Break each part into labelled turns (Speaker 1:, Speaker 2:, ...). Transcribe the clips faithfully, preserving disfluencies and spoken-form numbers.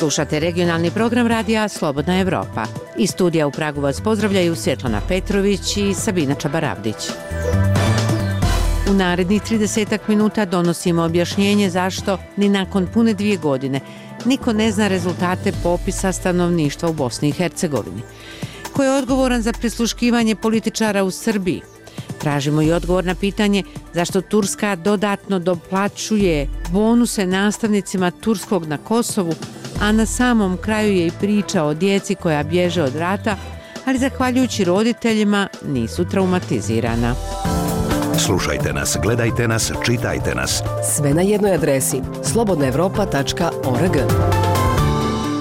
Speaker 1: Slušate regionalni program radija Slobodna Evropa. Iz studija u Pragu vas pozdravljaju Svjetlana Petrović i Sabina Čabaravdić. U narednih tridesetak minuta donosimo objašnjenje zašto ni nakon pune dvije godine niko ne zna rezultate popisa stanovništva u Bosni i Hercegovini. Ko je odgovoran za prisluškivanje političara u Srbiji? Tražimo i odgovor na pitanje zašto Turska dodatno doplaćuje bonuse nastavnicima turskog na Kosovu, a na samom kraju je i priča o djeci koja bježe od rata, ali zahvaljujući roditeljima nisu traumatizirana.
Speaker 2: Slušajte nas, gledajte nas, čitajte nas.
Speaker 3: Sve na jednoj adresi slobodna evropa tačka org.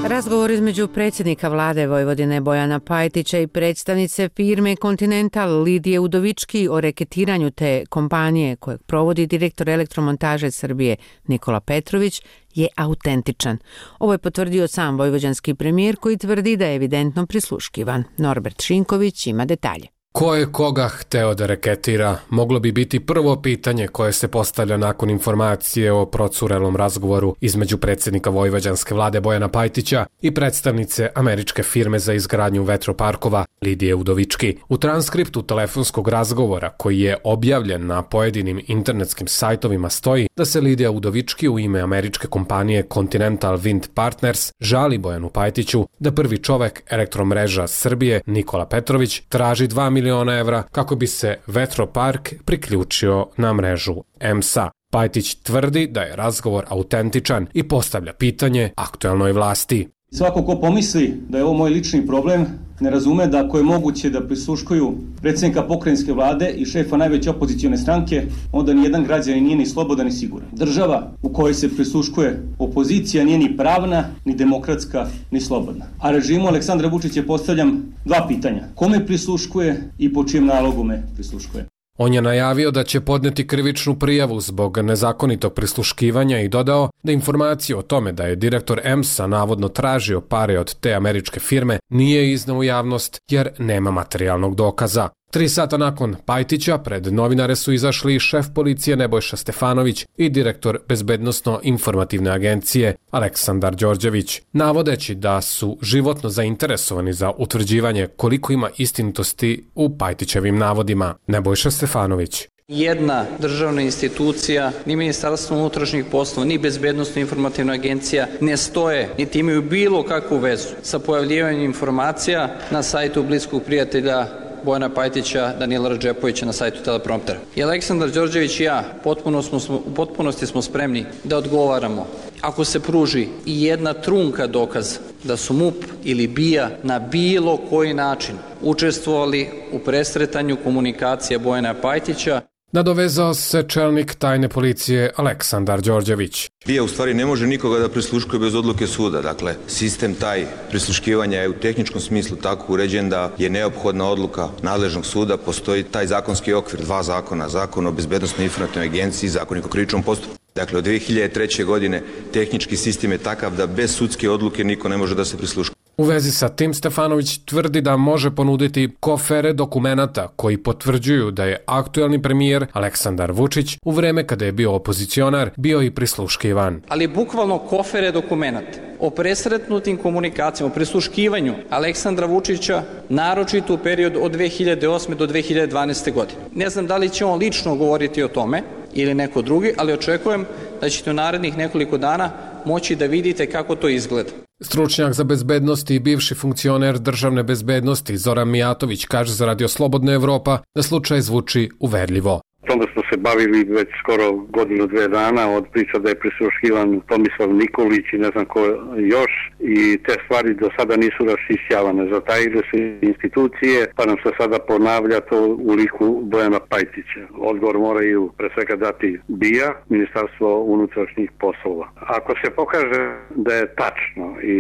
Speaker 1: Razgovor između predsjednika vlade Vojvodine Bojana Pajtića i predstavnice firme Continental Lidije Udovički o reketiranju te kompanije kojeg provodi direktor elektromontaže Srbije Nikola Petrović je autentičan. Ovo je potvrdio sam vojvođanski premijer koji tvrdi da je evidentno prisluškivan. Norbert Šinković ima detalje.
Speaker 4: Ko je koga hteo da reketira, moglo bi biti prvo pitanje koje se postavlja nakon informacije o procurelom razgovoru između predsjednika vojvođanske vlade Bojana Pajtića i predstavnice američke firme za izgradnju vetroparkova Lidije Udovički. U transkriptu telefonskog razgovora koji je objavljen na pojedinim internetskim sajtovima stoji da se Lidija Udovički u ime američke kompanije Continental Wind Partners žali Bojanu Pajtiću da prvi čovek elektromreža Srbije Nikola Petrović traži dva miliona evra kako bi se vetropark priključio na mrežu E M S A. Pajtić tvrdi da je razgovor autentičan i postavlja pitanje aktuelnoj vlasti.
Speaker 5: Svako ko pomisli da je ovo moj lični problem, ne razume da ako je moguće da prisluškuju predsjednika pokrajinske vlade i šefa najveće opozicione stranke, onda nijedan građanin nije ni slobodan ni siguran. Država u kojoj se prisluškuje opozicija nije ni pravna, ni demokratska, ni slobodna. A režimu Aleksandra Vučića postavljam dva pitanja. Kome prisluškuje i po čijem nalogu me prisluškuje?
Speaker 4: On je najavio da će podneti krivičnu prijavu zbog nezakonitog prisluškivanja i dodao da informacija o tome da je direktor E M S A navodno tražio pare od te američke firme nije izneo u javnost jer nema materijalnog dokaza. Tri sata nakon Pajtića pred novinare su izašli šef policije Nebojša Stefanović i direktor bezbednosno-informativne agencije Aleksandar Đorđević, navodeći da su životno zainteresovani za utvrđivanje koliko ima istinitosti u Pajtićevim navodima. Nebojša Stefanović.
Speaker 6: Jedna državna institucija, ni Ministarstvo unutrašnjih poslova, ni Bezbednosno-informativna agencija ne stoje, niti imaju bilo kakvu vezu sa pojavljivanjem informacija na sajtu bliskog prijatelja Bojana Pajtića, Danila Radžepovića na sajtu Telepromptera. I Aleksandar Đorđević i ja potpuno smo, u potpunosti smo spremni da odgovaramo ako se pruži i jedna trunka dokaz da su M U P ili B I A na bilo koji način učestvovali u presretanju komunikacije Bojana Pajtića.
Speaker 4: Nadovezao se čelnik tajne policije Aleksandar Đorđević.
Speaker 7: B I A u stvari ne može nikoga da prisluškuje bez odluke suda. Dakle, sistem taj prisluškivanja je u tehničkom smislu tako uređen da je neophodna odluka nadležnog suda. Postoji taj zakonski okvir, dva zakona, Zakon o bezbednosnoj informativnoj agenciji i Zakonik o krivičnom postupku. Dakle, od dve hiljade treće. godine tehnički sistem je takav da bez sudske odluke niko ne može da se prisluškuje.
Speaker 4: U vezi sa tim Stefanović tvrdi da može ponuditi kofere dokumenata koji potvrđuju da je aktuelni premijer Aleksandar Vučić u vreme kada je bio opozicionar bio i prisluškivan.
Speaker 6: Ali bukvalno kofere dokumenata o presretnutim komunikacijama, o prisluškivanju Aleksandra Vučića, naročito u periodu od dve hiljade osme. do dve hiljade dvanaeste. godine. Ne znam da li će on lično govoriti o tome ili neko drugi, ali očekujem da ćete u narednih nekoliko dana moći da vidite kako to izgleda.
Speaker 4: Stručnjak za bezbednost i bivši funkcioner državne bezbednosti Zoran Mijatović kaže za Radio Slobodna Evropa da slučaj zvuči uverljivo.
Speaker 8: Tome smo se bavili već skoro godinu, dve dana od priča da je prisluškivan Tomislav Nikolić i ne znam ko još i te stvari do sada nisu raščišćavane. Zatajile se institucije pa nam se sada ponavlja to u liku Bojana Pajtića. Odgovor moraju pre svega dati B I A, Ministarstvo unutrašnjih poslova. Ako se pokaže da je tačno i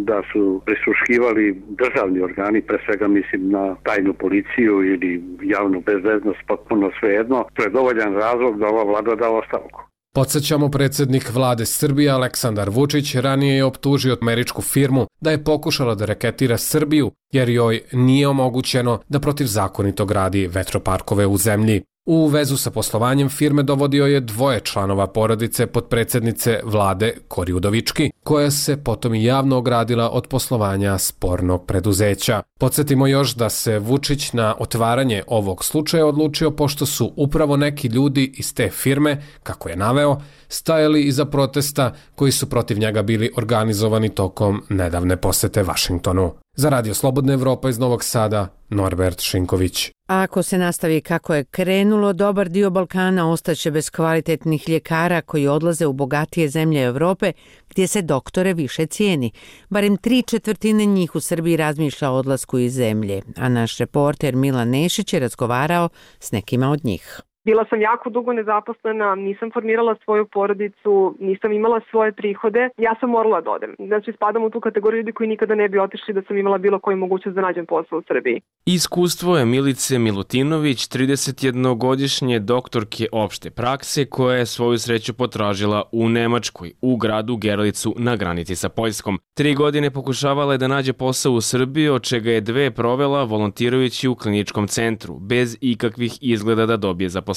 Speaker 8: da su prisluškivali državni organi, pre svega mislim na tajnu policiju ili javnu bezbednost, potpuno svejedno, to je dovoljan razlog da ova vlada da ostavku.
Speaker 4: Podsjećamo, predsjednik vlade Srbije Aleksandar Vučić ranije je optužio američku firmu da je pokušala da reketira Srbiju jer joj nije omogućeno da protivzakonito gradi vetroparkove u zemlji. U vezu sa poslovanjem firme dovodio je dvoje članova porodice potpredsednice vlade Kori Udovički, koja se potom i javno ogradila od poslovanja spornog preduzeća. Podsjetimo još da se Vučić na otvaranje ovog slučaja odlučio pošto su upravo neki ljudi iz te firme, kako je naveo, stajali iza protesta koji su protiv njega bili organizovani tokom nedavne posete Vašingtonu. Za Radio Slobodna Evropa iz Novog Sada, Norbert Šinković.
Speaker 1: A ako se nastavi kako je krenulo, dobar dio Balkana ostaće bez kvalitetnih ljekara koji odlaze u bogatije zemlje Evrope gdje se doktore više cijeni. Barem tri četvrtine njih u Srbiji razmišlja o odlasku iz zemlje, a naš reporter Milan Nešić je razgovarao s nekima od njih.
Speaker 9: Bila sam jako dugo nezaposlena, nisam formirala svoju porodicu, nisam imala svoje prihode, ja sam morala da odem. Znači, spadam u tu kategoriju ljudi koji nikada ne bi otišli da sam imala bilo koju mogućnost da nađem posao u Srbiji.
Speaker 10: Iskustvo je Milice Milutinović, tridesetjednogodišnje doktorke opšte prakse, koja je svoju sreću potražila u Nemačkoj, u gradu Gerlicu na granici sa Poljskom. Tri godine pokušavala je da nađe posao u Srbiji, od čega je dve provela volontirajući u kliničkom centru, bez ikakvih izgleda da dobije zaposlenje.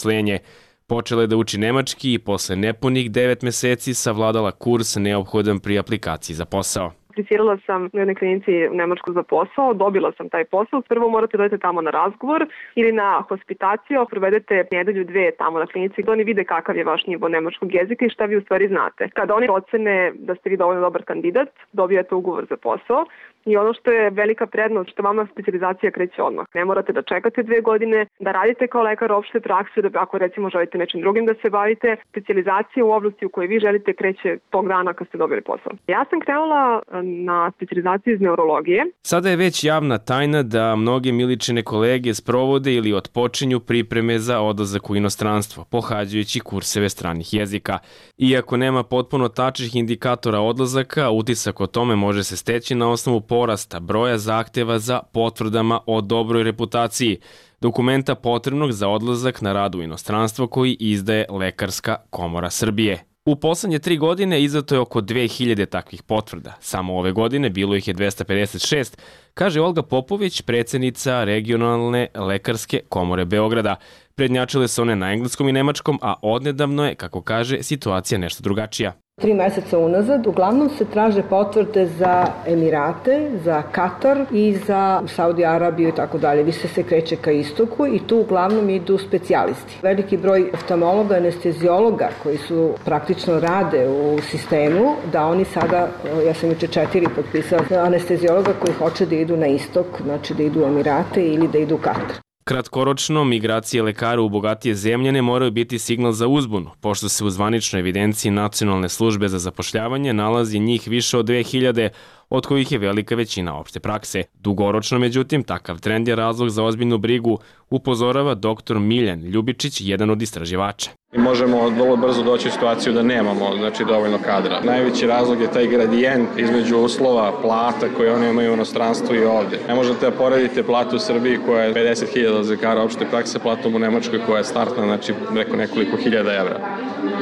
Speaker 10: Počela je da uči nemački i posle nepunih devet meseci savladala kurs neophodan pri aplikaciji za posao.
Speaker 9: Aplicirala sam u jednoj klinici u Nemačku za posao, dobila sam taj posao. Prvo morate da odete tamo na razgovor ili na hospitaciju, provedete nedelju dve tamo na klinici da oni vide kakav je vaš nivo nemačkog jezika i šta vi u stvari znate. Kada oni ocene da ste vi dovoljno dobar kandidat, dobijate ugovor za posao. I ono što je velika prednost, što vama specijalizacija kreće odmah. Ne morate da čekate dve godine, da radite kao lekar opšte prakse, da ako recimo želite nečim drugim da se bavite, specijalizacija u oblasti u kojoj vi želite kreće tog dana kad ste dobili posao. Ja sam krenula na specijalizaciju iz neurologije.
Speaker 10: Sada je već javna tajna da mnoge Miličine kolege sprovode ili otpočinju pripreme za odlazak u inostranstvo, pohađajući kurseve stranih jezika. Iako nema potpuno tačnih indikatora odlazaka, utisak o tome može se steći na osnovu porasta broja zahteva za potvrdama o dobroj reputaciji, dokumenta potrebnog za odlazak na rad u inostranstvo koji izdaje Lekarska komora Srbije. U poslednje tri godine izdato je oko dve hiljade takvih potvrda. Samo ove godine bilo ih je dvesta pedeset šest, kaže Olga Popović, predsednica regionalne Lekarske komore Beograda. Prednjačile su one na engleskom i nemačkom, a odnedavno je, kako kaže, situacija nešto drugačija.
Speaker 11: Tri meseca unazad uglavnom se traže potvrde za Emirate, za Katar i za Saudi Arabiju i tako dalje. Više se kreće ka istoku i tu uglavnom idu specijalisti. Veliki broj oftalmologa, anesteziologa koji su praktično rade u sistemu, da oni sada, ja sam juče četiri potpisala, anesteziologa koji hoće da idu na istok, znači da idu u Emirate ili da idu u Katar.
Speaker 10: Kratkoročno, migracije lekara u bogatije zemlje ne moraju biti signal za uzbunu, pošto se u zvaničnoj evidenciji Nacionalne službe za zapošljavanje nalazi njih više od dve hiljade, od kojih je velika većina opšte prakse. Dugoročno, međutim, takav trend je razlog za ozbiljnu brigu, upozorava doktor Miljan Ljubičić, jedan od istraživača.
Speaker 12: Mi možemo vrlo brzo doći u situaciju da nemamo znači, dovoljno kadra. Najveći razlog je taj gradijent između uslova plata koje oni imaju u inostranstvu i ovde. Ne možete da poredite platu u Srbiji koja je pedeset hiljada lekara opšte prakse, platom u Nemačkoj koja je startna, znači preko nekoliko hiljada evra.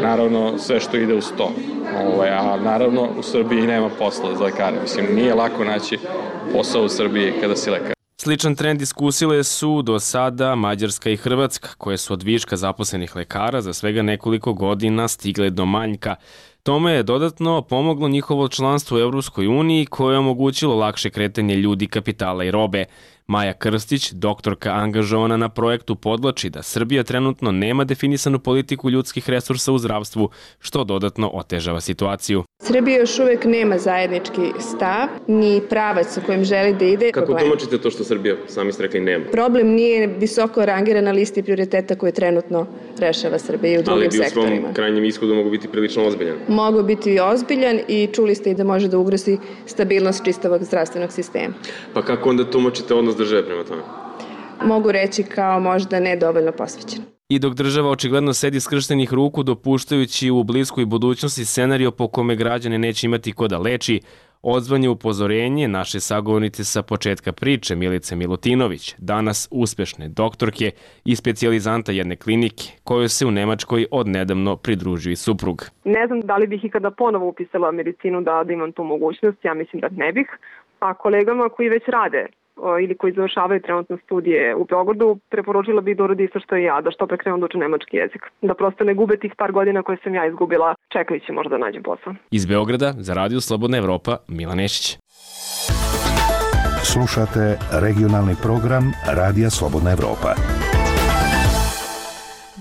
Speaker 12: Naravno, sve što ide uz to. Ovaj, a naravno, u Srbiji nema posla za lekare. Mislim, nije lako naći posao u Srbiji kada si lekar.
Speaker 10: Sličan trend iskusile su do sada Mađarska i Hrvatska, koje su od viška zaposlenih lekara za svega nekoliko godina stigle do manjka. Tome je dodatno pomoglo njihovo članstvo u Evropskoj uniji koje je omogućilo lakše kretanje ljudi, kapitala i robe. Maja Krstić, doktorka angažovana na projektu, podvlači da Srbija trenutno nema definisanu politiku ljudskih resursa u zdravstvu, što dodatno otežava situaciju.
Speaker 13: Srbija još uvek nema zajednički stav, ni pravac u kojem želi da ide.
Speaker 10: Kako tumačite to što Srbija, sami ste rekli, nema?
Speaker 13: Problem nije visoko rangiran na listi prioriteta koje trenutno rešava Srbija i u drugim sektorima.
Speaker 10: Ali bi u svom krajnjem ishodu mogu biti prilično ozbiljan.
Speaker 13: Mogu biti ozbiljan i čuli ste i da može da ugrozi stabilnost čistog zdravstvenog sistema.
Speaker 10: Pa kako onda tumačite odnos države prema tome?
Speaker 13: Mogu reći kao možda nedovoljno posvećen.
Speaker 10: I dok država očigledno sedi skrštenih ruku, dopuštajući u bliskoj budućnosti scenario po kome građane neće imati ko da leči, odzvanje upozorenje naše sagovornice sa početka priče Milice Milutinović, danas uspešne doktorke i specijalizanta jedne klinike, kojoj se u Nemačkoj odnedavno pridružio i suprug.
Speaker 9: Ne znam da li bih ikada ponovo upisala medicinu da, da imam tu mogućnost, ja mislim da ne bih, a kolegama koji već rade ili koji završavaju trenutno studije u Beogradu, preporučila bih da uradi isto što i ja, da što pre krenu da uče nemački jezik. Da prosto ne gube tih par godina koje sam ja izgubila čekajući možda da nađem posao.
Speaker 10: Iz Beograda za Radio Slobodna Evropa, Milan Nešić.
Speaker 2: Slušate regionalni program Radija Slobodna Evropa.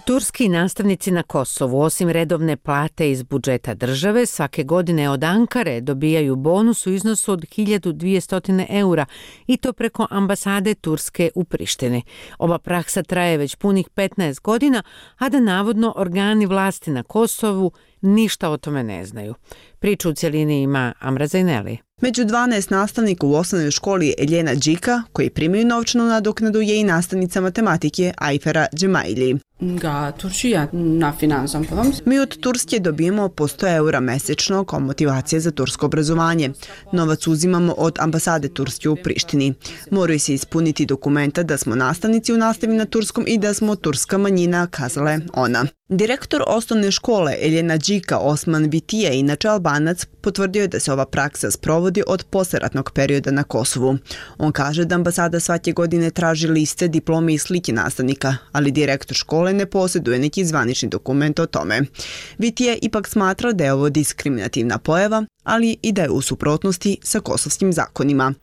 Speaker 1: Turski nastavnici na Kosovu, osim redovne plate iz budžeta države, svake godine od Ankare dobijaju bonus u iznosu od hiljadu dvjesto eura i to preko ambasade Turske u Prištini. Ova praksa traje već punih petnaest godina, a da navodno organi vlasti na Kosovu ništa o tome ne znaju. Priču u cjelini ima Amra Zaineli.
Speaker 14: Među dvanaest nastavnika u osnovnoj školi Eljena Đika, koji primaju novčanu nadoknadu, je i nastavnica matematike Ajfera Džemaili. Mi od Turske dobijemo po sto eura mesečno kao motivacija za tursko obrazovanje. Novac uzimamo od ambasade Turske u Prištini. Moraju se ispuniti dokumenta da smo nastavnici u nastavi na turskom i da smo turska manjina, kazala je ona. Direktor osnovne škole Eljena Đika Osman Vitija, inače Albanac, potvrdio je da se ova praksa sprovodi od posleratnog perioda na Kosovu. On kaže da ambasada svake godine traži liste, diplome i slike nastavnika, ali direktor škole ne posjeduje neki zvanični dokument o tome. Vitija ipak smatra da je ovo diskriminativna pojava, ali i da je u suprotnosti sa kosovskim zakonima.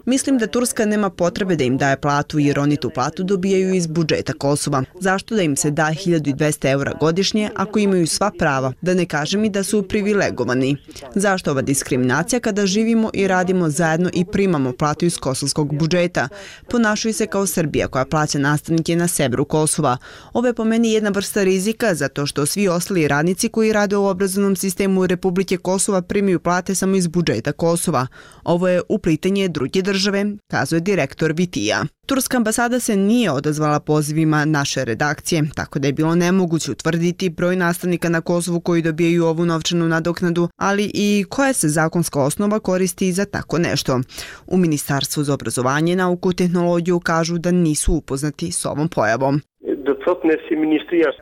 Speaker 14: Mislim da Turska nema potrebe da im daje platu jer oni tu platu dobijaju iz budžeta Kosova. Zašto da im se da hiljadu dvesta eura godišnje ako imaju sva prava, da ne kažem i da su privilegovani? Zašto ova diskriminacija kada živimo i radimo zajedno i primamo platu iz kosovskog budžeta? Ponašaju se kao Srbija koja plaća nastavnike na severu Kosova. Ovo je po meni jedna vrsta rizika zato što svi ostali radnici koji rade u obrazovnom sistemu Republike Kosova primaju plate samo iz budžeta Kosova. Ovo je uplitanje druge države, kazuje direktor Vitija. Turska ambasada se nije odazvala pozivima naše redakcije, tako da je bilo nemoguće utvrditi broj nastavnika na Kosovu koji dobijaju ovu novčanu nadoknadu, ali i koja se zakonska osnova koristi za tako nešto. U Ministarstvu za obrazovanje, nauku i tehnologiju kažu da nisu upoznati s ovom pojavom.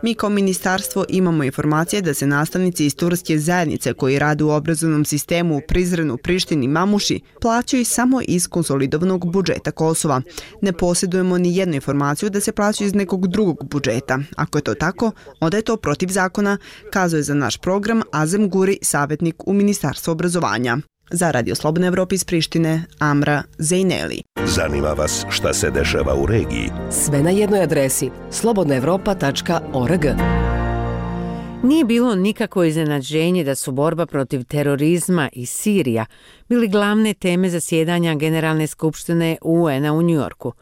Speaker 14: Mi kao ministarstvo imamo informacije da se nastavnici iz turske zajednice koji rade u obrazovnom sistemu u Prizrenu, Prištini i Mamuši plaćaju samo iz konsolidovanog budžeta Kosova. Ne posjedujemo ni jednu informaciju da se plaćaju iz nekog drugog budžeta. Ako je to tako, onda je to protiv zakona, kazuje za naš program Azem Guri, savjetnik u Ministarstvu obrazovanja. Za Radio Slobodna Evropa iz Prištine, Amra Zaineli.
Speaker 2: Zanima vas šta se dešava u regiji?
Speaker 3: Sve na jednoj adresi slobodna evropa tačka org.
Speaker 1: Nije bilo nikakvo iznenađenje da su borba protiv terorizma i Sirija bili glavne teme zasjedanja Generalne skupštine U N-a u Njujorku.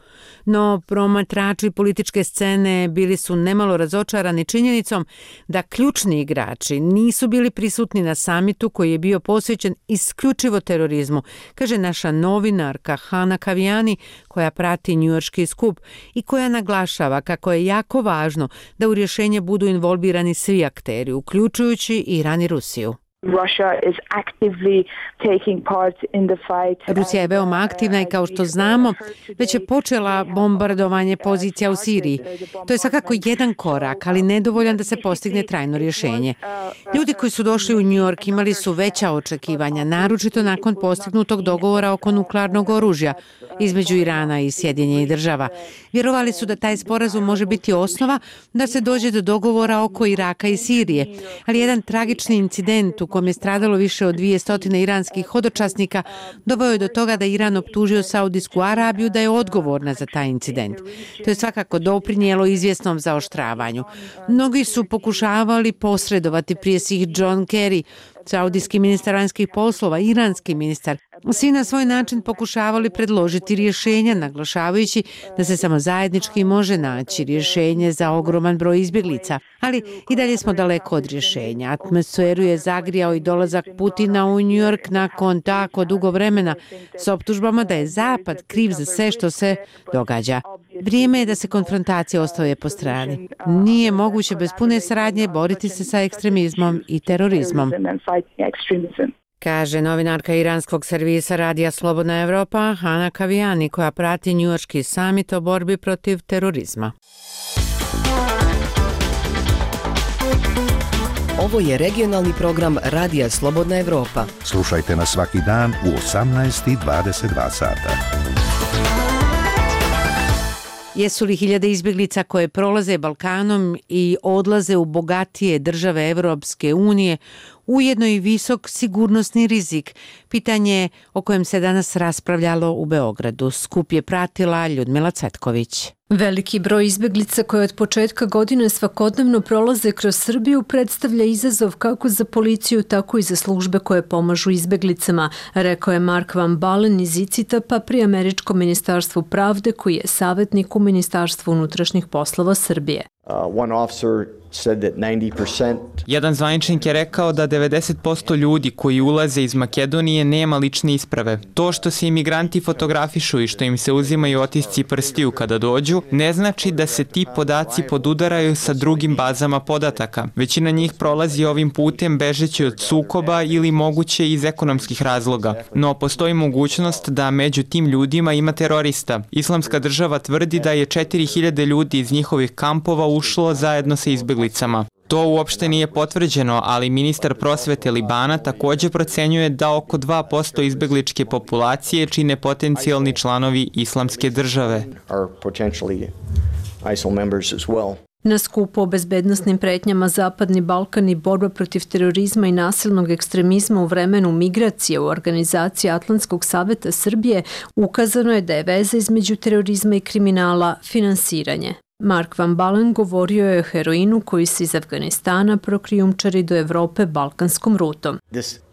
Speaker 1: No, promatrači političke scene bili su nemalo razočarani činjenicom da ključni igrači nisu bili prisutni na samitu koji je bio posvećen isključivo terorizmu, kaže naša novinarka Hana Kavijani koja prati njujorški skup i koja naglašava kako je jako važno da u rješenje budu involvirani svi akteri, uključujući Iran i Rusiju. Rusija je veoma aktivna i kao što znamo, već je počela bombardovanje pozicija u Siriji. To je svakako jedan korak, ali nedovoljan da se postigne trajno rješenje. Ljudi koji su došli u New York imali su veća očekivanja, naročito nakon postignutog dogovora oko nuklearnog oružja između Irana i Sjedinjenih država. Vjerovali su da taj sporazum može biti osnova da se dođe do dogovora oko Iraka i Sirije, ali jedan tragični incident u kojem je stradalo više od dvjesto iranskih hodočasnika doveo je do toga da Iran optužio Saudijsku Arabiju da je odgovorna za taj incident. To je svakako doprinijelo izvjesnom zaoštravanju. Mnogi su pokušavali posredovati, prije svih John Kerry, saudijski ministar vanjskih poslova, iranski ministar. Svi na svoj način pokušavali predložiti rješenja, naglašavajući da se samo zajednički može naći rješenje za ogroman broj izbjeglica. Ali i dalje smo daleko od rješenja. Atmosferu je zagrijao i dolazak Putina u New York nakon tako dugo vremena s optužbama da je Zapad kriv za sve što se događa. Vrijeme je da se konfrontacija ostaje po strani. Nije moguće bez pune saradnje boriti se sa ekstremizmom i terorizmom, kaže novinarka iranskog servisa Radija Slobodna Evropa Hana Kavijani koja prati njujorški samit o borbi protiv terorizma.
Speaker 3: Ovo je regionalni program Radija Slobodna Evropa.
Speaker 2: Slušajte nas svaki dan u osamnaest i dvadeset dva sata.
Speaker 1: Jesu li hiljade izbjeglica koje prolaze Balkanom i odlaze u bogatije države Evropske unije ujedno i visok sigurnosni rizik? Pitanje o kojem se danas raspravljalo u Beogradu. Skup je pratila Ljudmila Cvetković.
Speaker 15: Veliki broj izbjeglica koje od početka godine svakodnevno prolaze kroz Srbiju predstavlja izazov kako za policiju, tako i za službe koje pomažu izbjeglicama, rekao je Mark Van Balen iz ICITAP-a pri Američkom ministarstvu pravde, koji je savjetnik u Ministarstvu unutrašnjih poslova Srbije.
Speaker 16: Uh, one officer said that ninety percent
Speaker 17: Jedan zvaničnik je rekao da devedeset posto ljudi koji ulaze iz Makedonije nema lične isprave. To što se imigranti fotografišu i što im se uzimaju otisci prstiju kada dođu, ne znači da se ti podaci podudaraju sa drugim bazama podataka. Većina njih prolazi ovim putem bežeći od sukoba ili moguće iz ekonomskih razloga. No postoji mogućnost da među tim ljudima ima terorista. Islamska država tvrdi da je četiri hiljade ljudi iz njihovih kampova ušlo zajedno sa izbjeglicama. To uopšte nije potvrđeno, ali ministar prosvete Libana također procenjuje da oko dva posto izbjegličke populacije čine potencijalni članovi Islamske države.
Speaker 15: Na skupu o bezbednosnim pretnjama Zapadni Balkan i borba protiv terorizma i nasilnog ekstremizma u vremenu migracije u organizaciji Atlantskog saveta Srbije ukazano je da je veza između terorizma i kriminala finansiranje. Mark Van Balen govorio je o heroinu koji se iz Afganistana prokrijumčari do Evrope balkanskom rutom.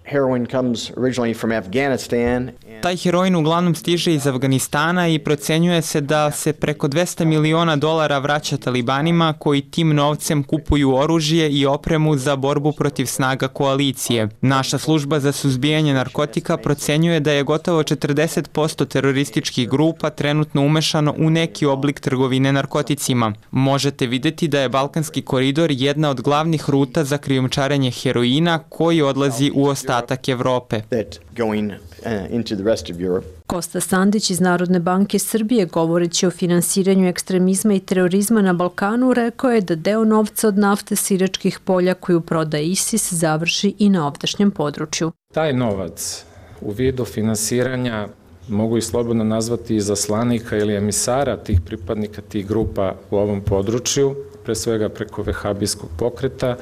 Speaker 16: Heroin comes originally from Afghanistan.
Speaker 17: Taj heroin uglavnom stiže iz Afganistana i procenjuje se da se preko dvesta miliona dolara vraća talibanima koji tim novcem kupuju oružje i opremu za borbu protiv snaga koalicije. Naša služba za suzbijanje narkotika procenjuje da je gotovo četrdeset posto terorističkih grupa trenutno umešano u neki oblik trgovine narkoticima. Možete vidjeti da je Balkanski koridor jedna od glavnih ruta za krijumčarenje heroina koji odlazi u ostatak Evrope.
Speaker 15: Kosta Sandić iz Narodne banke Srbije, govoreći o finansiranju ekstremizma i terorizma na Balkanu, rekao je da deo novca od nafte s iračkih polja koju prodaje ISIS završi i na ovdašnjem području.
Speaker 18: Taj novac u vidu finansiranja mogu i slobodno nazvati izaslanika ili emisara tih pripadnika tih grupa u ovom području, pre svega preko vehabijskog pokreta.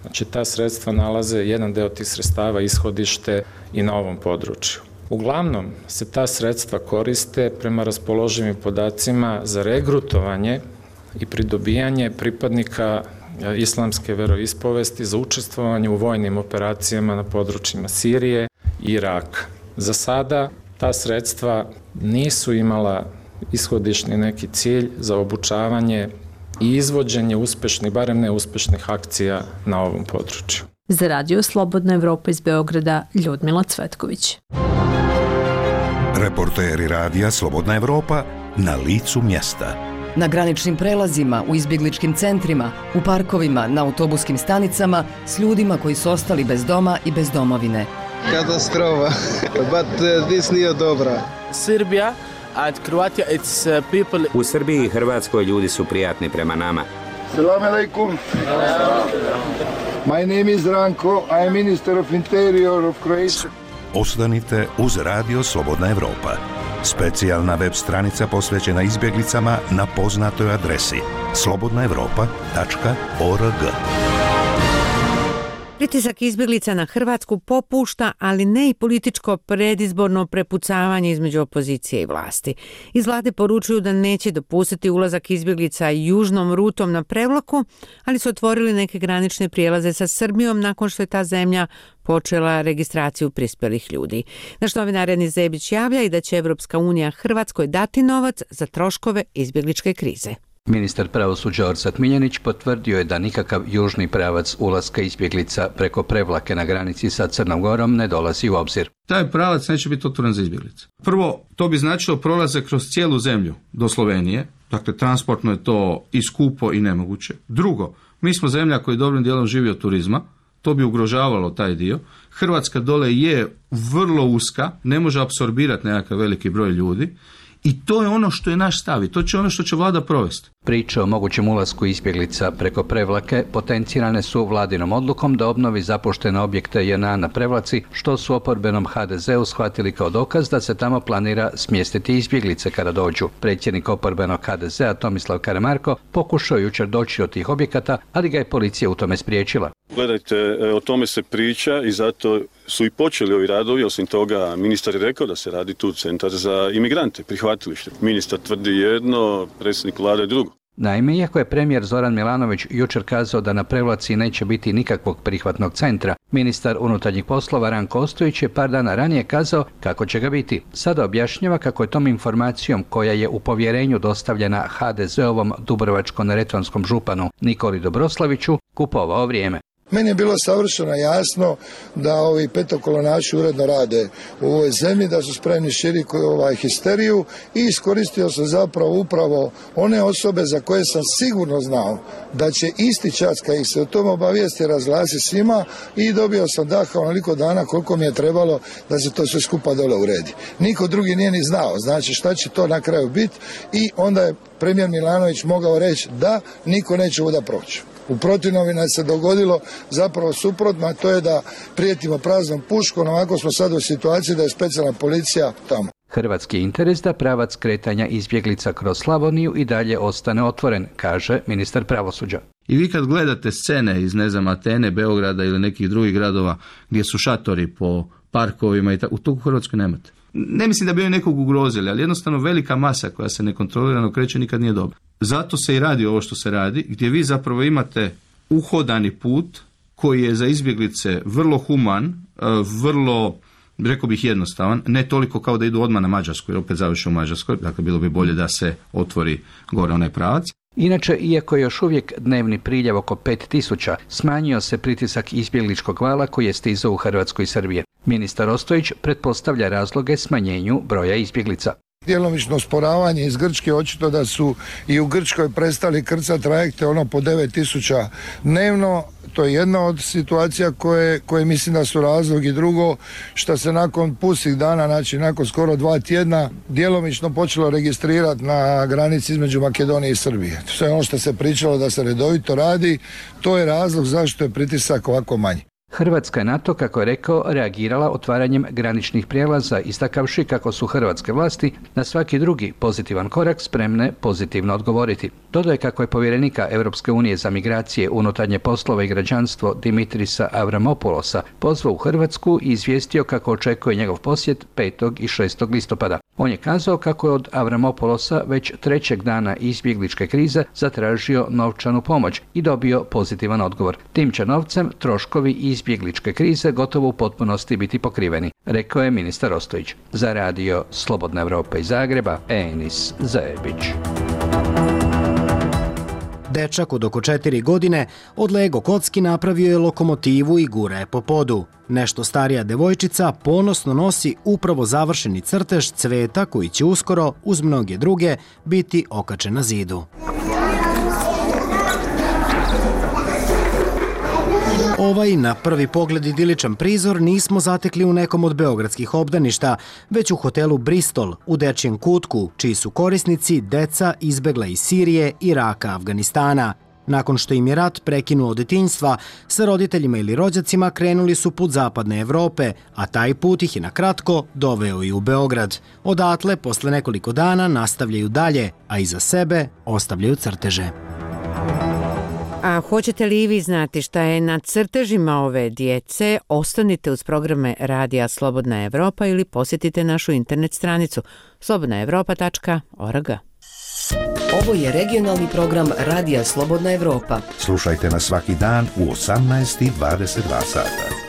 Speaker 18: Znači, ta sredstva nalaze, jedan deo tih sredstava ishodište i na ovom području. Uglavnom se ta sredstva koriste prema raspoloživim podacima za regrutovanje i pridobijanje pripadnika islamske veroispovesti za učestvovanje u vojnim operacijama na područjima Sirije i Iraka. Za sada ta sredstva nisu imala ishodišni neki cilj za obučavanje i izvođenje uspešnih, barem neuspešnih akcija na ovom području.
Speaker 15: Za Radio Slobodna Evropa iz Beograda, Ljudmila Cvetković.
Speaker 2: Reporteri Radija Slobodna Evropa na licu mjesta.
Speaker 3: Na graničnim prelazima, u izbjegličkim centrima, u parkovima, na autobuskim stanicama, s ljudima koji su ostali bez doma i bez domovine.
Speaker 19: Katastrofa, but uh, this nije dobra.
Speaker 20: Srbija and Croatia, it's uh, people...
Speaker 21: U Srbiji i Hrvatskoj ljudi su prijatni prema nama.
Speaker 22: Salam alaikum. My name is Ranko, I am Minister of Interior of Croatia.
Speaker 2: Ostanite uz Radio Slobodna Evropa. Specijalna web stranica posvećena izbjeglicama na poznatoj adresi slobodna evropa tačka org.
Speaker 1: Pritisak izbjeglica na Hrvatsku popušta, ali ne i političko predizborno prepucavanje između opozicije i vlasti. Iz vlade poručuju da neće dopustiti ulazak izbjeglica južnom rutom na prevlaku, ali su otvorili neke granične prijelaze sa Srbijom nakon što je ta zemlja počela registraciju prispjelih ljudi. Naš novinar Enis Zebić javlja i da će Evropska unija Hrvatskoj dati novac za troškove izbjegličke krize.
Speaker 23: Ministar pravosuđa Orsat Miljenić potvrdio je da nikakav južni pravac ulaska izbjeglica preko Prevlake na granici sa Crnom Gorom ne dolazi u obzir.
Speaker 24: Taj pravac neće biti otvoren za izbjeglice. Prvo, to bi značilo prolazak kroz cijelu zemlju do Slovenije, dakle transportno je to i skupo i nemoguće. Drugo, mi smo zemlja koja dobrim dijelom živi od turizma, to bi ugrožavalo taj dio. Hrvatska dole je vrlo uska, ne može apsorbirati nekakav veliki broj ljudi. I to je ono što je naš stav i to će ono što će vlada provesti.
Speaker 23: Priče o mogućem ulasku izbjeglica preko Prevlake potencirane su vladinom odlukom da obnovi zapuštene objekte J N A na Prevlaci, što su oporbenom H D Z-u shvatili kao dokaz da se tamo planira smjestiti izbjeglice kada dođu. Predsjednik oporbenog H D Z-a Tomislav Karamarko pokušao jučer doći do tih objekata, ali ga je policija u tome spriječila.
Speaker 5: Gledajte, o tome se priča i zato su i počeli ovi radovi. Osim toga, ministar je rekao da se radi tu centar za imigrante, prihvatilište. Ministar tvrdi jedno, predsjednik vlade drugo.
Speaker 23: Naime, iako je premijer Zoran Milanović jučer kazao da na Prevlaci neće biti nikakvog prihvatnog centra, ministar unutarnjih poslova Ranko Ostojić je par dana ranije kazao kako će ga biti. Sada objašnjava kako je tom informacijom koja je u povjerenju dostavljena H D Z-ovom dubrovačko-neretvanskom županu Nikoli Dobroslaviću kupovao vrijeme.
Speaker 22: Meni je bilo savršeno jasno da ovi petokolonaši uredno rade u ovoj zemlji, da su spremni širiti ovaj histeriju i iskoristio sam zapravo upravo one osobe za koje sam sigurno znao da će isti čas kad ih se o tom obavijesti razglasi svima i dobio sam daha onoliko dana koliko mi je trebalo da se to sve skupa dole uredi. Niko drugi nije ni znao, znači šta će to na kraju biti i onda je premijer Milanović mogao reći da niko neće ovuda proći. U protivnom bi nam se dogodilo zapravo suprotno, a to je da prijetimo praznom puškom, ovako smo sad u situaciji da je specijalna policija tamo.
Speaker 23: Hrvatski interes da pravac kretanja izbjeglica kroz Slavoniju i dalje ostane otvoren, kaže ministar pravosuđa.
Speaker 24: I vi kad gledate scene iz, ne znam, Atene, Beograda ili nekih drugih gradova gdje su šatori po parkovima i tako, u togu u Hrvatskoj nemate. Ne mislim da bi oni nekog ugrozili, ali jednostavno velika masa koja se nekontrolirano kreće nikad nije dobra. Zato se i radi ovo što se radi, gdje vi zapravo imate uhodani put koji je za izbjeglice vrlo human, vrlo, rekao bih, jednostavan, ne toliko kao da idu odmah na Mađarsku, jer opet završe u Mađarskoj, dakle bilo bi bolje da se otvori gore onaj pravac.
Speaker 23: Inače, iako je još uvijek dnevni priljev oko pet tisuća, smanjio se pritisak izbjegličkog vala koji je stizao u Hrvatsku i Srbije. Ministar Ostojić pretpostavlja razloge smanjenju broja izbjeglica.
Speaker 22: Djelomično sporavanje iz Grčke, očito da su i u Grčkoj prestali krcati trajekte ono po devet tisuća dnevno. To je jedna od situacija koje, koje mislim da su razlog, i drugo što se nakon pustih dana, znači nakon skoro dva tjedna, djelomično počelo registrirati na granici između Makedonije i Srbije. Sve ono što se pričalo da se redovito radi, to je razlog zašto je pritisak ovako manji.
Speaker 23: Hrvatska je na to, kako je rekao, reagirala otvaranjem graničnih prijelaza, istakavši kako su hrvatske vlasti na svaki drugi pozitivan korak spremne pozitivno odgovoriti. Dodaje kako je povjerenika Europske unije za migracije, unutarnje poslove i građanstvo Dimitrisa Avramopulosa pozvao u Hrvatsku i izvijestio kako očekuje njegov posjet petog i šestog listopada. On je kazao kako je od Avramopulosa već trećeg dana izbjegličke krize zatražio novčanu pomoć i dobio pozitivan odgovor. Tim će novcem troškovi izbjegličke krize gotovo u potpunosti biti pokriveni, rekao je ministar Ostojić. Za radio Slobodna Evropa iz Zagreba, Enis Zajebić.
Speaker 6: Dečak od oko četiri godine od Lego kocki napravio je lokomotivu i gura je po podu. Nešto starija devojčica ponosno nosi upravo završeni crtež cveta koji će uskoro, uz mnoge druge, biti okačen na zidu. Ovaj na prvi pogled idiličan prizor nismo zatekli u nekom od beogradskih obdaništa, već u hotelu Bristol u dečijem kutku, čiji su korisnici deca izbegla iz Sirije, Iraka, Afganistana. Nakon što im je rat prekinuo od detinjstva, sa roditeljima ili rođacima krenuli su put zapadne Evrope, a taj put ih je na kratko doveo i u Beograd. Odatle, posle nekoliko dana, nastavljaju dalje, a iza sebe ostavljaju crteže.
Speaker 1: A hoćete li i vi znati šta je na crtežima ove djece? Ostanite uz programe Radija Slobodna Evropa ili posjetite našu internet stranicu slobodna evropa tačka org.
Speaker 3: Ovo je regionalni program Radija Slobodna Evropa.
Speaker 2: Slušajte nas svaki dan u osamnaest i dvadeset dva sata.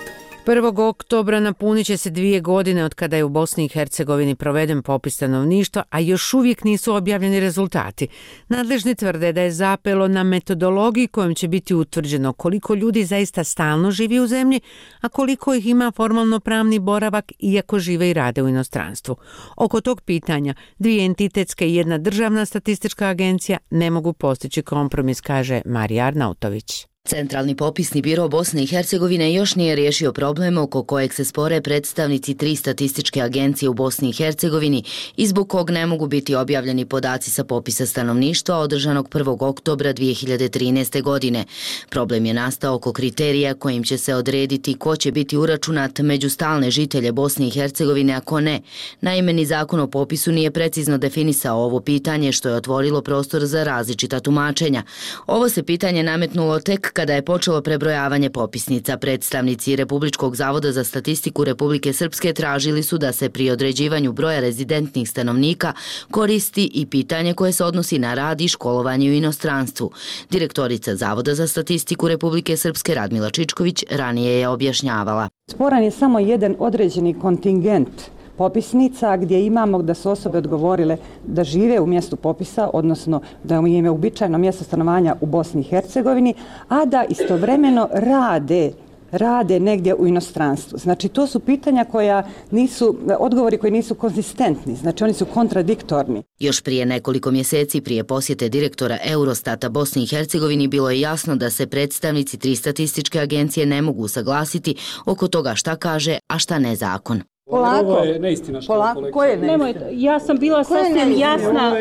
Speaker 1: prvog oktobra napunit će se dvije godine od kada je u Bosni i Hercegovini proveden popis stanovništva, a još uvijek nisu objavljeni rezultati. Nadležni tvrde da je zapelo na metodologiji kojom će biti utvrđeno koliko ljudi zaista stalno živi u zemlji, a koliko ih ima formalno pravni boravak iako žive i rade u inostranstvu. Oko tog pitanja dvije entitetske i jedna državna statistička agencija ne mogu postići kompromis, kaže Marija Arnautović.
Speaker 4: Centralni popisni biro Bosne i Hercegovine još nije riješio problem oko kojeg se spore predstavnici tri statističke agencije u Bosni i Hercegovini i zbog kog ne mogu biti objavljeni podaci sa popisa stanovništva održanog prvog oktobra dvije hiljade trinaeste. godine. Problem je nastao oko kriterija kojim će se odrediti ko će biti uračunat među stalne žitelje Bosne i Hercegovine, a ko ne. Naime, ni zakon o popisu nije precizno definisao ovo pitanje, što je otvorilo prostor za različita tumačenja. Ovo se pitanje nametnulo tek kada je počelo prebrojavanje popisnica. Predstavnici Republičkog zavoda za statistiku Republike Srpske tražili su da se pri određivanju broja rezidentnih stanovnika koristi i pitanje koje se odnosi na rad i školovanje u inostranstvu. Direktorica Zavoda za statistiku Republike Srpske Radmila Čičković ranije je objašnjavala.
Speaker 7: Sporan je samo jedan određeni kontingent popisnica gdje imamo da su osobe odgovorile da žive u mjestu popisa, odnosno da im je uobičajeno mjesto stanovanja u Bosni i Hercegovini, a da istovremeno rade rade negdje u inostranstvu. Znači, to su pitanja koja nisu, odgovori koji nisu konzistentni, znači oni su kontradiktorni.
Speaker 4: Još prije nekoliko mjeseci prije posjete direktora Eurostata Bosni i Hercegovini bilo je jasno da se predstavnici tri statističke agencije ne mogu usaglasiti oko toga šta kaže, a šta ne zakon.
Speaker 8: Polako. Ovo je neistina što
Speaker 7: Polako.
Speaker 8: kolegica.
Speaker 7: Ko je neistina?
Speaker 8: Nemojte, ja sam bila sasvim jasna.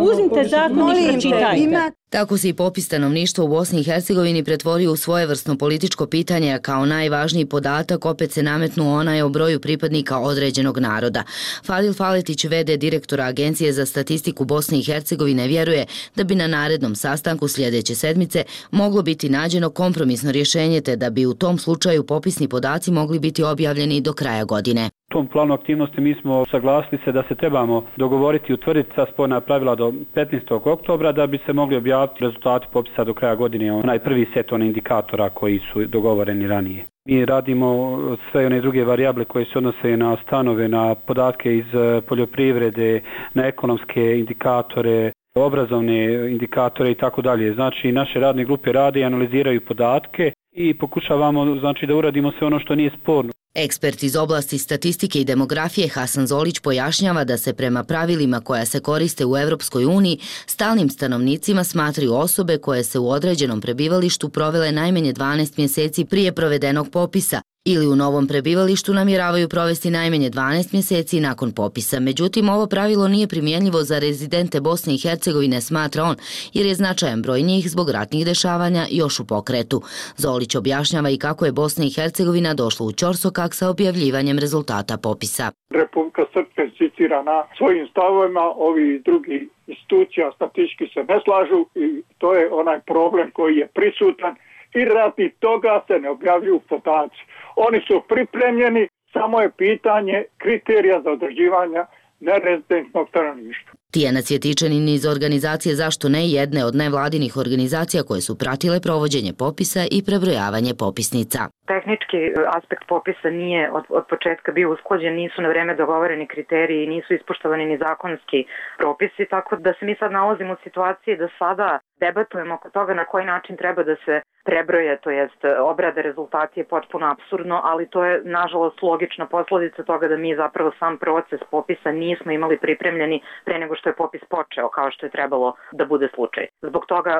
Speaker 8: Uzmite zakon i pročitajte.
Speaker 4: Tako se i popis stanovništva u Bosni i Hercegovini pretvorio u svojevrsno političko pitanje, a kao najvažniji podatak opet se nametnuo onaj o broju pripadnika određenog naroda. Fadil Faletić, v d direktora Agencije za statistiku Bosne i Hercegovine, vjeruje da bi na narednom sastanku sljedeće sedmice moglo biti nađeno kompromisno rješenje, te da bi u tom slučaju popisni podaci mogli biti objavljeni do kraja godine.
Speaker 11: U tom planu aktivnosti mi smo saglasili se da se trebamo dogovoriti i utvrditi sa sporna pravila do petnaestog oktobra da bi se mogli objaviti rezultati popisa do kraja godine, onaj prvi set onih indikatora koji su dogovoreni ranije. Mi radimo sve one druge varijable koje se odnose na stanove, na podatke iz poljoprivrede, na ekonomske indikatore, obrazovne indikatore i tako dalje. Znači, naše radne grupe rade i analiziraju podatke i pokušavamo, znači, da uradimo sve ono što nije sporno.
Speaker 4: Ekspert iz oblasti statistike i demografije Hasan Zolić pojašnjava da se prema pravilima koja se koriste u Europskoj uniji stalnim stanovnicima smatraju osobe koje se u određenom prebivalištu provele najmanje dvanaest mjeseci prije provedenog popisa ili u novom prebivalištu namjeravaju provesti najmanje dvanaest mjeseci nakon popisa. Međutim, ovo pravilo nije primjenjivo za rezidente Bosne i Hercegovine, smatra on, jer je značajan broj njih zbog ratnih dešavanja još u pokretu. Zolić objašnjava i kako je Bosna i Hercegovina došla u ćorsokak sa objavljivanjem rezultata popisa.
Speaker 25: Republika Srpska insistira na svojim stavovima, ovi drugi institucija statistički se ne slažu i to je onaj problem koji je prisutan i radi toga se ne objavljuju podaci. Oni su pripremljeni, samo je pitanje kriterija za određivanje nerezidentnog stanovništva.
Speaker 4: Tijana Cvjetičanin iz organizacije Zašto ne, jedne od nevladinih organizacija koje su pratile provođenje popisa i prebrojavanje popisnica.
Speaker 26: Tehnički aspekt popisa nije od, od početka bio usklađen, nisu na vreme dogovoreni kriteriji, nisu ispoštovani ni zakonski propisi, tako da se mi sad nalazimo u situaciji da sada debatujemo oko toga na koji način treba da se prebroje, to jest obrade rezultati je potpuno apsurdno, ali to je nažalost logična posljedica toga da mi zapravo sam proces popisa nismo imali pripremljeni pre nego što je popis počeo, kao što je trebalo da bude slučaj. Zbog toga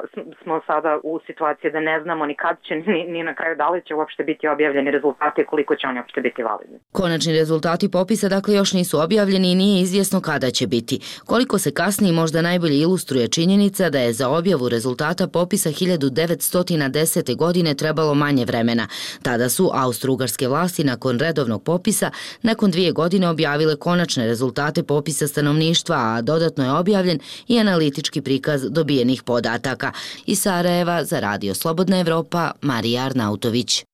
Speaker 26: smo sada u situaciji da ne znamo ni kad će, ni, ni na kraju da li će uopšte biti objavljeni rezultati i koliko će oni uopšte biti validni.
Speaker 4: Konačni rezultati popisa dakle još nisu objavljeni i nije izvjesno kada će biti. Koliko se kasnije možda najbolje ilustruje činjenica da je za objavu rezultata popisa hiljadu devetsto desete. godine trebalo manje vremena. Tada su austro-ugarske vlasti nakon redovnog popisa nakon dvije godine objavile konačne rezultate popisa stanovništva, a dodatno je objavljen i analitički prikaz dobijenih podataka. Iz Sarajeva za Radio Slobodna Evropa, Marija Arnautović.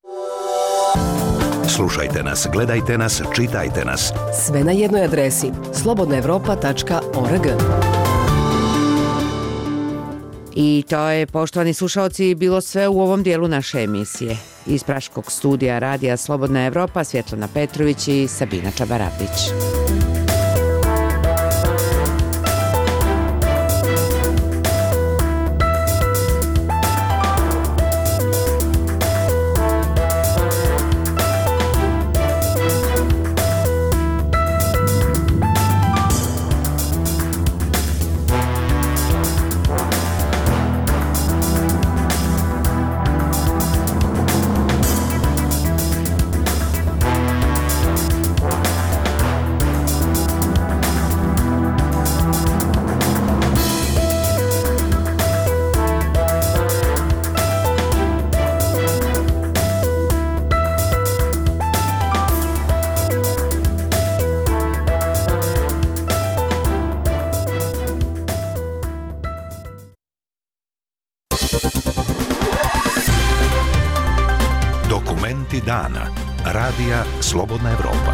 Speaker 2: Slušajte nas, gledajte nas, čitajte nas.
Speaker 3: Sve na jednoj adresi slobodna evropa tačka org.
Speaker 1: I to je, poštovani slušalci, bilo sve u ovom dijelu naše emisije. Iz Praškog studija Radija Slobodna Evropa, Svjetlana Petrović i Sabina Čabaravdić.
Speaker 2: Dokumenti dana. Radija Slobodna Evropa.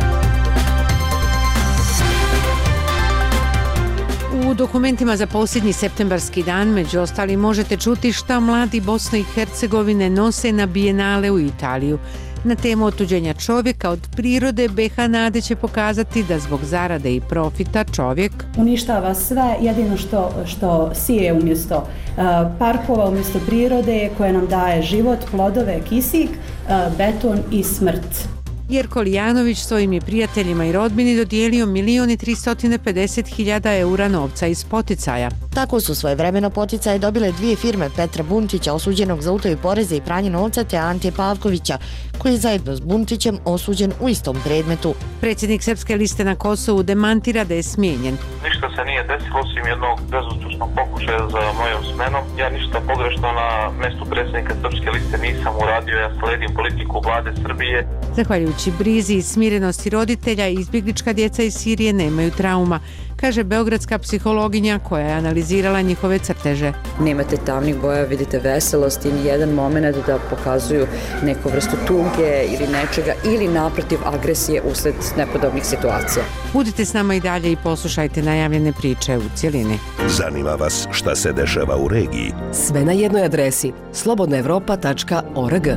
Speaker 1: U dokumentima za posljednji septembarski dan među ostali možete čuti šta mladi Bosne i Hercegovine nose na bijenale u Italiju. Na temu otuđenja čovjeka od prirode B H Nade će pokazati da zbog zarade i profita čovjek
Speaker 9: uništava sve, jedino što, što sije umjesto uh, parkova, umjesto prirode koje nam daje život, plodove, kisik, uh, beton i smrt.
Speaker 1: Jerko Lijanović svojim je prijateljima i rodbini dodijelio milion i tristo pedeset hiljada eura novca iz poticaja.
Speaker 10: Tako su svojevremeno poticaje dobile dvije firme Petra Buntića, osuđenog za utaju poreza i pranje novca, te Ante Pavkovića, koji je zajedno s Buntićem osuđen u istom predmetu.
Speaker 1: Predsjednik Srpske liste na Kosovu demantira da je smijenjen.
Speaker 12: Ništa se nije desilo osim jednog bezuspješnog pokušaja za mojom smenom. Ja ništa pogrešno na mjestu predsjednika Srpske liste nisam uradio, ja sledim politiku vlade Srbije.
Speaker 1: Zahvaljujući brizi i smirenosti roditelja, izbjeglička djeca iz Sirije nemaju trauma, kaže beogradska psihologinja koja je analizirala njihove crteže.
Speaker 13: Nemate tamnih boja, vidite veselost i nijedan moment da pokazuju neku vrstu tuge ili nečega ili naprotiv agresije usled nepodobnih situacija.
Speaker 1: Budite s nama i dalje i poslušajte najavljene priče u cjelini.
Speaker 2: Zanima vas šta se dešava u regiji?
Speaker 3: Sve na jednoj adresi slobodna evropa tačka org.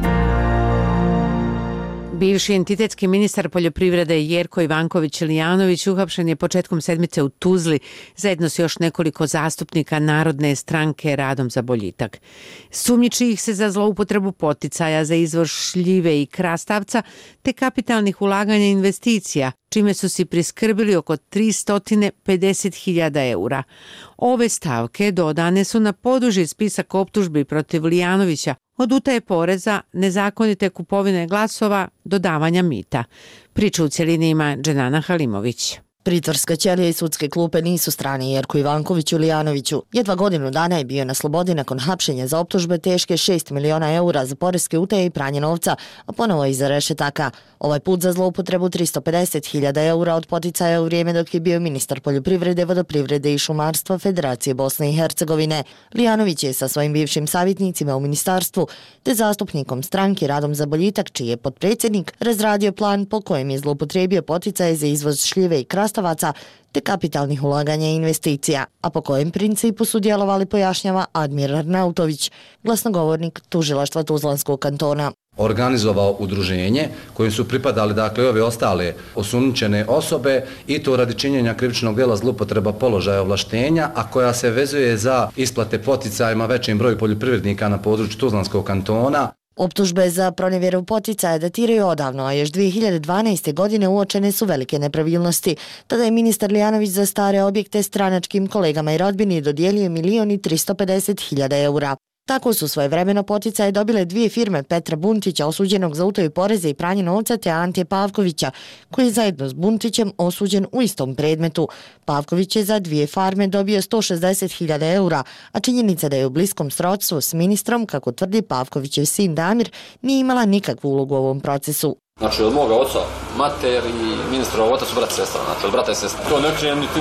Speaker 1: Bivši entitetski ministar poljoprivrede Jerko Ivanković Lijanović uhapšen je početkom sedmice u Tuzli zajedno s još nekoliko zastupnika Narodne stranke Radom za boljitak. Sumnjiči ih se za zloupotrebu poticaja za izvoz šljive i krastavca te kapitalnih ulaganja i investicija, čime su si priskrbili oko tristo pedeset hiljada eura. Ove stavke dodane su na poduži spisak optužbi protiv Lijanovića od utaje poreza, nezakonite kupovine glasova do davanja mita. Priču u cjelini ima Dženana Halimović.
Speaker 10: Pritvorska ćelija i sudske klupe nisu strani Jerku Ivankoviću Lijanoviću. Jedva godinu dana je bio na slobodi nakon hapšenja za optužbe teške šest miliona eura za poreske utaje i pranje novca, a ponovo iza rešetaka. Ovaj put za zloupotrebu tristo pedeset hiljada eura od poticaja u vrijeme dok je bio ministar poljoprivrede, vodoprivrede i šumarstva Federacije Bosne i Hercegovine. Lijanović je sa svojim bivšim savjetnicima u ministarstvu te zastupnikom stranke Radom za boljitak, čiji je potpredsjednik, razradio plan po kojem je zloupotrebio poticaje za izvoz šljive i krastavaca te kapitalnih ulaganja i investicija, a po kojem principu su djelovali, pojašnjava Admir Arnautović, glasnogovornik tužilaštva Tuzlanskog kantona.
Speaker 14: Organizovao udruženje kojim su pripadali dakle ove ostale osumnjičene osobe i to radi činjenja krivičnog djela zloupotreba položaja ovlaštenja, a koja se vezuje za isplate poticajima većem broju poljoprivrednika na području Tuzlanskog kantona.
Speaker 10: Optužbe za pronevjeru poticaja datiraju odavno, a još dvije hiljade dvanaeste. godine uočene su velike nepravilnosti. Tada je ministar Lijanović za stare objekte stranačkim kolegama i rodbini dodijelio milion i tristo pedeset hiljada eura. Tako su svojevremeno poticaje dobile dvije firme Petra Buntića, osuđenog za utaju poreza i pranje novca, te Ante Pavkovića, koji je zajedno s Buntićem osuđen u istom predmetu. Pavković je za dvije farme dobio sto šezdeset hiljada eura, a činjenica da je u bliskom srodstvu s ministrom, kako tvrdi Pavkovićev sin Damir, nije imala nikakvu ulogu u ovom procesu.
Speaker 16: Znači od moga oca, mater i ministrova otac su brat i sestra, znači od brata i sestra. To ne krijem, niti,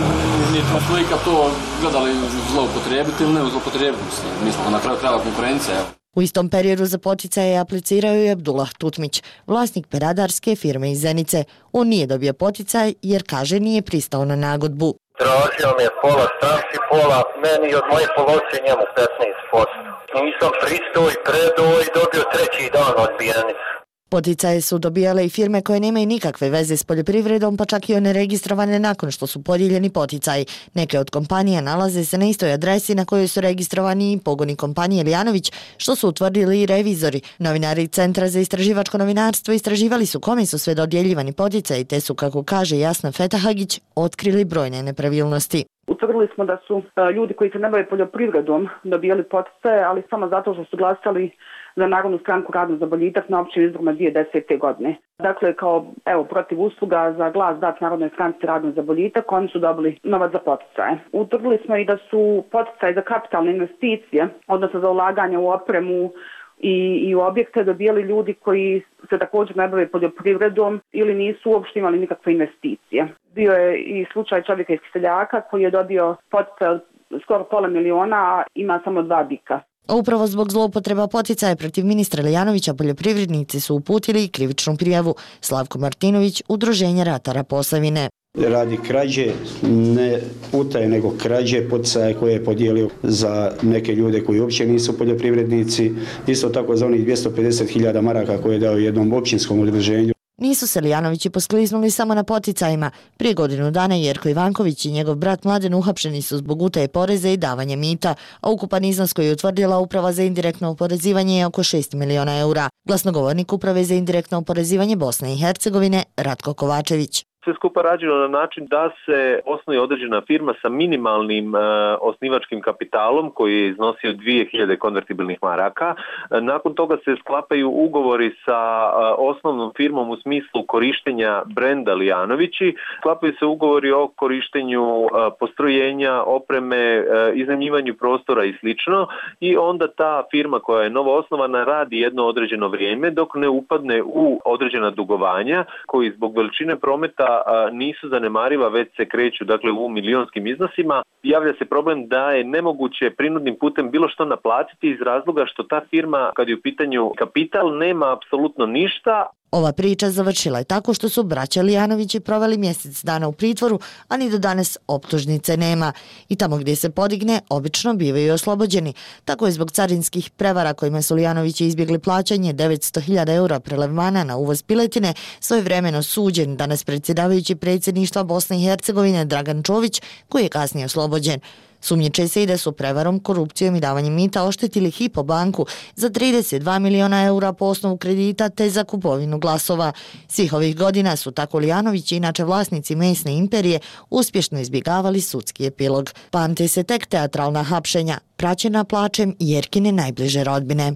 Speaker 16: niti slika to gledali zloupotrijebiti ili ne zloupotrijebiti, mi smo na kraju krajeva konkurencija.
Speaker 10: U istom periodu za poticaje je aplicirao i Abdullah Tutmić, vlasnik peradarske firme iz Zenice. On nije dobio poticaj jer, kaže, nije pristao na nagodbu.
Speaker 27: Tražio mi je pola stranci, pola meni i od moje polovice njemu petnaest posto. Nisam pristao i predao i dobio treći dan odbijenicu.
Speaker 10: Poticaje su dobijale i firme koje nemaju nikakve veze s poljoprivredom, pa čak i one registrovane nakon što su podijeljeni poticaji. Neke od kompanija nalaze se na istoj adresi na kojoj su registrovani i pogoni kompanije Lijanović, što su utvrdili i revizori. Novinari Centra za istraživačko novinarstvo istraživali su kome su sve dodjeljivani poticaji, te su, kako kaže Jasna Fetahagić, otkrili brojne nepravilnosti.
Speaker 28: Utvrdili smo da su ljudi koji se ne bave poljoprivredom dobijali poticaje, ali samo zato što su glasali za Narodnu stranku Radom za boljitak na općim izborima dvije hiljade desete. godine. Dakle, kao evo protiv usluga za glas dat Narodnoj stranci Radom za boljitak, oni su dobili novac za poticaje. Utvrdili smo i da su poticaje za kapitalne investicije, odnosno za ulaganje u opremu i, i u objekte dobijali ljudi koji se također ne bave poljoprivredom ili nisu uopšte imali nikakve investicije. Bio je i slučaj čovjeka iz Seljaka koji je dobio poticaj od skoro pola miliona, a ima samo dva bika.
Speaker 10: Upravo zbog zloupotreba poticaja protiv ministra Lijanovića poljoprivrednici su uputili i krivičnu prijavu. Slavko Martinović, Udruženje ratara Posavine.
Speaker 5: Radi krađe, ne utaje nego krađe poticaje koje je podijelio za neke ljude koji uopće nisu poljoprivrednici, isto tako za onih dvjesto pedeset hiljada maraka koje je dao jednom općinskom udruženju.
Speaker 10: Nisu se Lijanovići poskliznuli samo na poticajima. Prije godinu dana Jerko Ivanković i njegov brat Mladen uhapšeni su zbog utaje poreza i davanja mita, a ukupan iznos koji je utvrdila Uprava za indirektno oporezivanje je oko šest miliona eura. Glasnogovornik Uprave za indirektno oporezivanje Bosne i Hercegovine Ratko Kovačević.
Speaker 15: Sve skupa rađeno na način da se osnuje određena firma sa minimalnim e, osnivačkim kapitalom koji je iznosio dvije hiljade konvertibilnih maraka. E, nakon toga se sklapaju ugovori sa e, osnovnom firmom u smislu korištenja brenda Lijanovići. Sklapaju se ugovori o korištenju e, postrojenja, opreme, e, iznajmljivanju prostora i slično. I onda ta firma koja je novo osnovana radi jedno određeno vrijeme dok ne upadne u određena dugovanja koji zbog veličine prometa nisu zanemariva, već se kreću dakle u milionskim iznosima. Javlja se problem da je nemoguće prinudnim putem bilo što naplatiti iz razloga što ta firma, kad je u pitanju kapital, nema apsolutno ništa.
Speaker 10: Ova priča završila je tako što su braća Lijanovići proveli mjesec dana u pritvoru, a ni do danas optužnice nema. I tamo gdje se podigne, obično bivaju oslobođeni. Tako je zbog carinskih prevara kojima su Lijanovići izbjegli plaćanje devetsto hiljada eura prelevmana na uvoz piletine, svojevremeno suđen danas predsjedavajući predsjedništva Bosne i Hercegovine Dragan Čović, koji je kasnije oslobođen. Sumnjiče se i da su prevarom, korupcijom i davanjem mita oštetili Hypo banku za trideset dva miliona eura po osnovu kredita te za kupovinu glasova. Svih ovih godina su tako Lijanovići, inače vlasnici mesne imperije, uspješno izbjegavali sudski epilog. Pamte se tek teatralna hapšenja, praćena plačem Jerkine najbliže rodbine.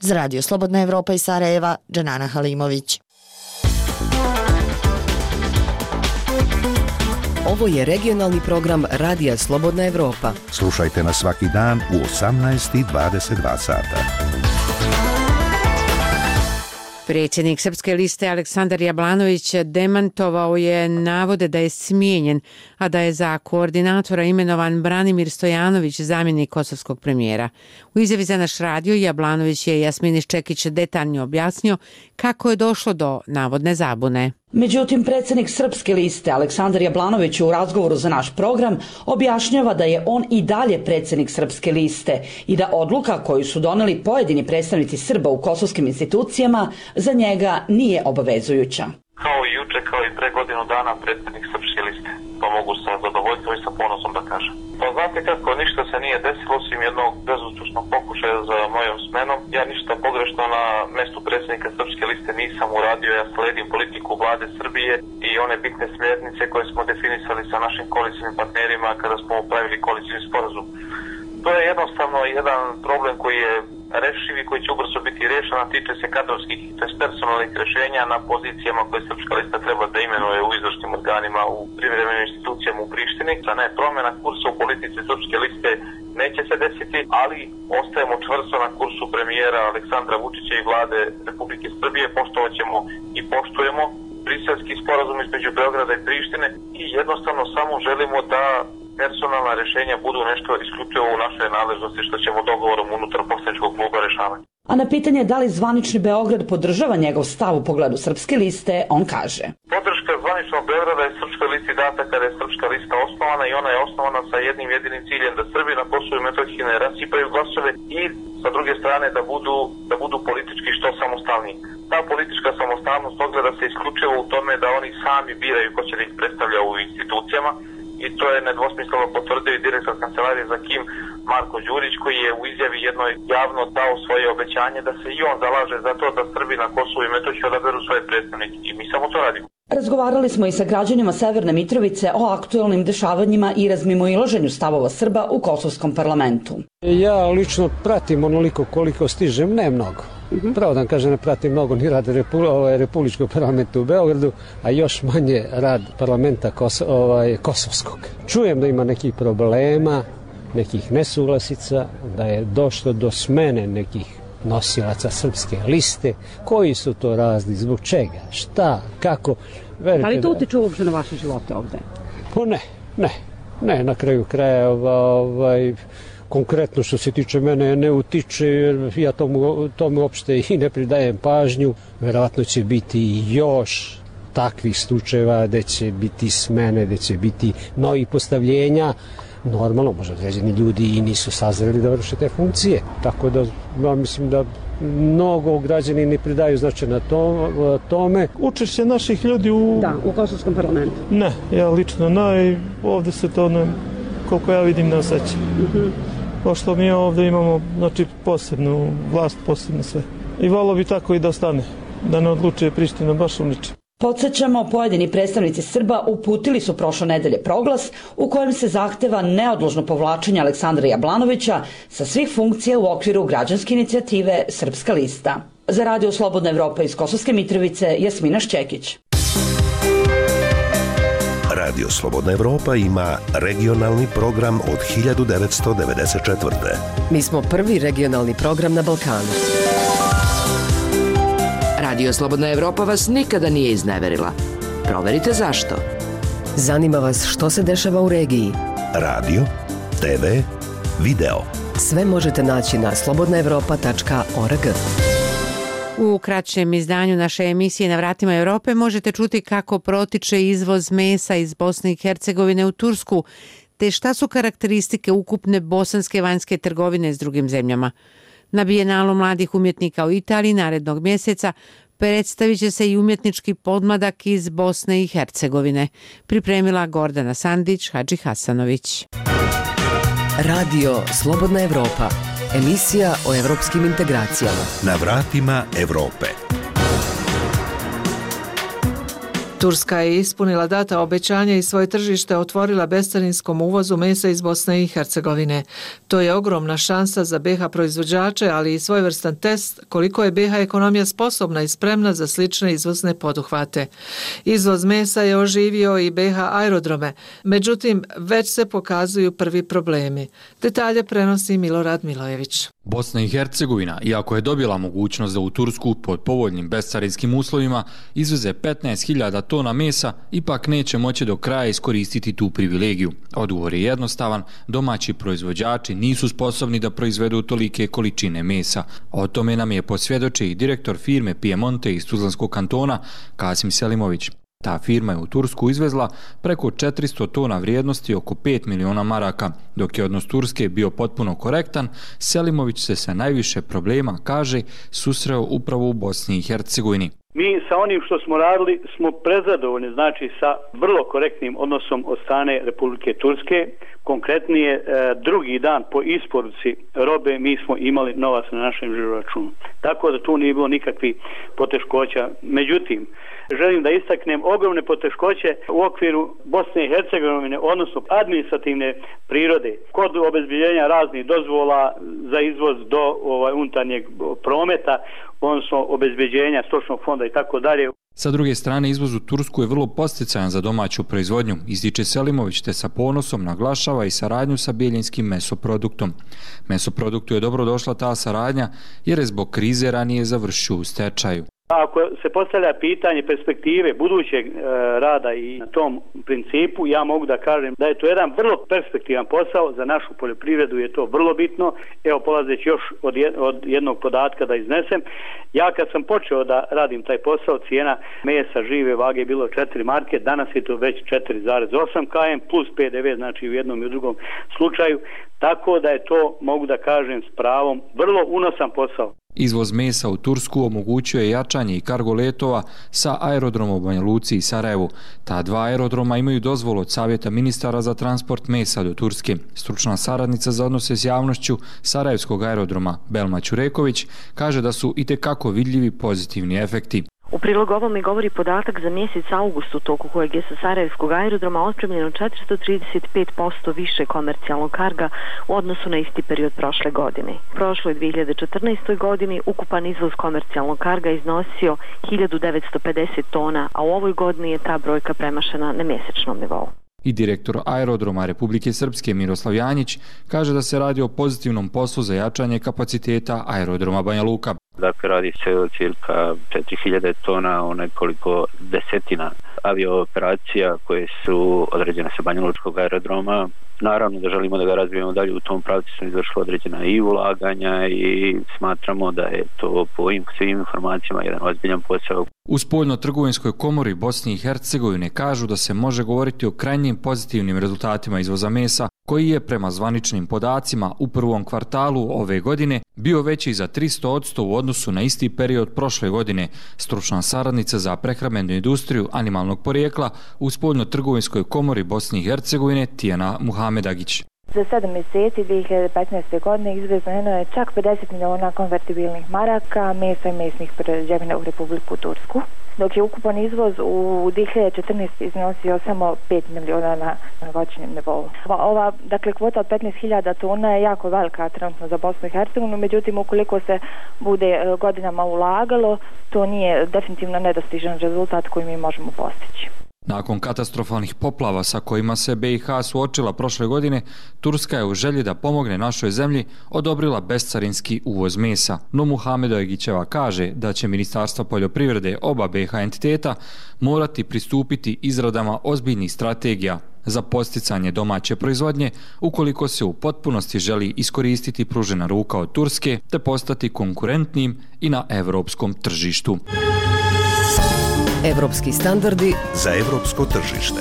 Speaker 10: Za Radio Slobodna Evropa iz Sarajeva, Dženana Halimović.
Speaker 17: Ovo je regionalni program Radija Slobodna Evropa.
Speaker 2: Slušajte nas svaki dan u osamnaest i dvadeset dva sata.
Speaker 1: Predsjednik Srpske liste Aleksandar Jablanović demantovao je navode da je smijenjen, a da je za koordinatora imenovan Branimir Stojanović, zamjenik kosovskog premijera. U izjavi za naš radio Jablanović je Jasmini Ščekić detaljno objasnio kako je došlo do navodne zabune.
Speaker 18: Međutim, predsjednik Srpske liste Aleksandar Jablanović u razgovoru za naš program objašnjava da je on i dalje predsjednik Srpske liste i da odluka koju su doneli pojedini predstavnici Srba u kosovskim institucijama za njega nije obavezujuća.
Speaker 12: Kao i juče, kao i pre godinu dana predsjednik Srpske liste. To mogu sa zadovoljstvom i sa ponosom da kažem. Pa znate kako, ništa se nije desilo osim jednog bezuspješnog pokušaja za mojom smenom. Ja ništa pogrešno na mjestu predsjednika Srpske liste nisam uradio. Ja sledim politiku vlade Srbije i one bitne smjernice koje smo definisali sa našim koalicijnim partnerima kada smo pravili koalicijni sporazum. To je jednostavno jedan problem koji je rešiv i koji će ubrzo biti rješen, a tiče se kadrovskih, to je personalnih rješenja na pozicijama koje Srpska lista treba da imenuje u izvršnim organima, u privremenim institucijama u Prištini. Da ne, promjena kursa u politici Srpske liste neće se desiti, ali ostajemo čvrsto na kursu premijera Aleksandra Vučića i vlade Republike Srbije, poštovat ćemo i poštujemo briselski sporazum između Beograda i Prištine i jednostavno samo želimo da personalna rješenja budu nešto isključivo u našoj nadležnosti što ćemo dogovorom unutar poslaničkog kluba rješavati.
Speaker 18: A na pitanje da li zvanični Beograd podržava njegov stav u pogledu Srpske liste, on kaže:
Speaker 12: Podrška zvaničnog Beograda je Srpskoj listi data kada je Srpska lista osnovana i ona je osnovana sa jednim jedinim ciljem da Srbi na Kosovu i Metohiji ne rasipaju glasove i sa druge strane da budu, da budu politički što samostalniji. Ta politička samostalnost ogleda se isključivo u tome da oni sami biraju ko će da ih predstavlja u institucijama. I to je nedvosmisleno potvrdio i direktor kancelarije za Kim Marko Đurić, koji je u izjavi jednoj javno dao svoje obećanje da se i on zalaže za to da Srbi na Kosovu i Metohiji odaberu svoje predstavnike. I mi samo to radimo.
Speaker 18: Razgovarali smo i sa građanima Severne Mitrovice o aktuelnim dešavanjima i razmimoilaženju stavova Srba u kosovskom parlamentu.
Speaker 19: Ja lično pratim onoliko koliko stižem, ne mnogo. Pravo da vam kažem, ne pratim mnogo ni rad Repu, ovaj, Republičkog parlamenta u Beogradu, a još manje rad parlamenta Kos, ovaj, kosovskog. Čujem da ima nekih problema, nekih nesuglasica, da je došlo do smene nekih nosilaca Srpske liste. Koji su to razli, zbog čega, šta, kako?
Speaker 18: Verite, da li to utiče uopće na vaše živote ovde?
Speaker 19: Pa ne, ne. Ne, na kraju krajeva, ovaj, konkretno što se tiče mene ne utiče, jer ja tomu, tomu uopšte i ne pridajem pažnju. Verovatno će biti još takvih slučajeva gde će biti smene, gde će biti novih postavljenja. Normalno, možda određeni ljudi i nisu sazreli da vrše te funkcije. Tako da, ja mislim da mnogo građani ne pridaju značaj na to, tome.
Speaker 6: Učešće naših ljudi u...
Speaker 28: Da, u Kosovskom parlamentu.
Speaker 6: Ne, ja lično ne, i ovde se to ne, koliko ja vidim, ne osjeća. Uh-huh. Pošto mi ovde imamo, znači, posebnu vlast, posebno sve. I volio bi tako i da ostane, da ne odlučuje Priština baš u ničem.
Speaker 18: Podsjećamo, pojedini predstavnici Srba uputili su prošle nedelje proglas u kojem se zahteva neodložno povlačenje Aleksandra Jablanovića sa svih funkcija u okviru građanske inicijative Srpska lista. Za Radio Slobodna Evropa iz Kosovske Mitrovice, Jasmina Šćekić.
Speaker 2: Radio Slobodna Evropa ima regionalni program od hiljadu devetsto devedeset četvrte.
Speaker 17: Mi smo prvi regionalni program na Balkanu.
Speaker 7: Radio Slobodna Evropa vas nikada nije izneverila. Proverite zašto.
Speaker 17: Zanima vas što se dešava u regiji.
Speaker 2: Radio, te ve, video.
Speaker 17: Sve možete naći na slobodna evropa tačka org.
Speaker 1: U kraćem izdanju naše emisije Na vratima Evrope možete čuti kako protiče izvoz mesa iz Bosne i Hercegovine u Tursku, te šta su karakteristike ukupne bosanske vanjske trgovine s drugim zemljama. Na Bijenalu mladih umjetnika u Italiji narednog mjeseca predstavit će se i umjetnički podmladak iz Bosne i Hercegovine. Pripremila Gordana Sandić, Hadži Hasanović.
Speaker 17: Radio Slobodna Evropa. Emisija o evropskim integracijama.
Speaker 2: Na vratima Evrope.
Speaker 8: Turska je ispunila data obećanja i svoje tržište otvorila bescarinskom uvozu mesa iz Bosne i Hercegovine. To je ogromna šansa za be ha proizvođače, ali i svojevrstan test koliko je be ha ekonomija sposobna i spremna za slične izvozne poduhvate. Izvoz mesa je oživio i be ha aerodrome, međutim već se pokazuju prvi problemi. Detalje prenosi Milorad Milojević.
Speaker 20: Bosna i Hercegovina, iako je dobila mogućnost da u Tursku pod povoljnim bescarinskim uslovima izveze petnaest hiljada tona mesa, ipak neće moći do kraja iskoristiti tu privilegiju. Odgovor je jednostavan, domaći proizvođači nisu sposobni da proizvedu tolike količine mesa. O tome nam je posvjedočio i direktor firme Piemonte iz Tuzlanskog kantona, Kasim Selimović. Ta firma je u Tursku izvezla preko četiristo tona vrijednosti oko pet miliona maraka. Dok je odnos Turske bio potpuno korektan, Selimović se sa najviše problema, kaže, susreo upravo u Bosni i Hercegovini.
Speaker 21: Mi sa onim što smo radili smo prezadovoljni, znači sa vrlo korektnim odnosom od strane Republike Turske. Konkretnije, drugi dan po isporuci robe mi smo imali novac na našem žiroračunu. Tako da tu nije bilo nikakvih poteškoća. Međutim, želim da istaknem ogromne poteškoće u okviru Bosne i Hercegovine, odnosno administrativne prirode, kod obezbiljenja raznih dozvola za izvoz do ovaj, unutarnjeg prometa, odnosno obezbeđenja stočnog fonda i tako dalje.
Speaker 20: Sa druge strane, izvoz u Tursku je vrlo posticajan za domaću proizvodnju, ističe Selimović, te sa ponosom naglašava i saradnju sa Bijeljinskim mesoproduktom. Mesoproduktu je dobro došla ta saradnja jer je zbog krize ranije završio u stečaju.
Speaker 21: Ako se postavlja pitanje perspektive budućeg e, rada i na tom principu, ja mogu da kažem da je to jedan vrlo perspektivan posao, za našu poljoprivredu je to vrlo bitno. Evo, polazeći još od, je, od jednog podatka da iznesem, ja kad sam počeo da radim taj posao, cijena mesa žive vage je bilo četiri marke, danas je to već četiri zarez osam km plus pe de ve, znači u jednom i u drugom slučaju, tako da je to, mogu da kažem s pravom, vrlo unosan posao.
Speaker 20: Izvoz mesa u Tursku omogućuje jačanje i kargo letova sa aerodromom u Banja Luci i Sarajevu. Ta dva aerodroma imaju dozvolu od Savjeta ministara za transport mesa do Turske. Stručna saradnica za odnose s javnošću Sarajevskog aerodroma Belma Ćureković kaže da su itekako vidljivi pozitivni efekti.
Speaker 22: U prilog ovome govori podatak za mjesec august u toku kojeg je sa Sarajevskog aerodroma otpremljeno četiristo trideset pet posto više komercijalnog karga u odnosu na isti period prošle godine. U prošloj dvije hiljade četrnaestoj godini ukupan izvoz komercijalnog karga iznosio hiljadu devetsto pedeset tona, a u ovoj godini je ta brojka premašena na mjesečnom nivou.
Speaker 20: I direktor aerodroma Republike Srpske Miroslav Janjić kaže da se radi o pozitivnom poslu za jačanje kapaciteta aerodroma Banja Luka.
Speaker 4: Dakle, radi se o cirka četiri hiljade tona, o nekoliko desetina aviooperacija koje su određene sa Banjalučkog aerodroma. Naravno da želimo da ga razvijemo dalje, u tom pravcu smo izvršili određena i ulaganja i smatramo da je to po ovim svim informacijama jedan ozbiljan posao.
Speaker 20: U Spoljno-trgovinskoj komori Bosne i Hercegovine kažu da se može govoriti o krajnjim pozitivnim rezultatima izvoza mesa, koji je prema zvaničnim podacima u prvom kvartalu ove godine bio veći za tristo posto u odnosu na isti period prošle godine. Stručna saradnica za prehrambenu industriju animalnog porijekla u Spoljno-trgovinskoj komori Bosne i Hercegovine Tijana Muhamedagić.
Speaker 9: Za sedam mjeseci dvije hiljade petnaeste. godine izvezeno je čak pedeset miliona konvertibilnih maraka mesa i mesnih prerađevina u Republiku Tursku, dok je ukupan izvoz u dvije hiljade četrnaeste. iznosio samo pet miliona na godišnjem nivou. Ova, dakle, kvota od petnaest hiljada tona je jako velika trenutno za Bosnu i Hercegovinu, međutim, ukoliko se bude godinama ulagalo, to nije definitivno nedostižan rezultat koji mi možemo postići.
Speaker 20: Nakon katastrofalnih poplava sa kojima se B i H suočila prošle godine, Turska je u želji da pomogne našoj zemlji odobrila bescarinski uvoz mesa. No Muhamedovićeva kaže da će Ministarstvo poljoprivrede oba B i H entiteta morati pristupiti izradama ozbiljnih strategija za posticanje domaće proizvodnje ukoliko se u potpunosti želi iskoristiti pružena ruka od Turske te postati konkurentnim i na evropskom tržištu.
Speaker 17: Evropski standardi
Speaker 2: za evropsko tržište.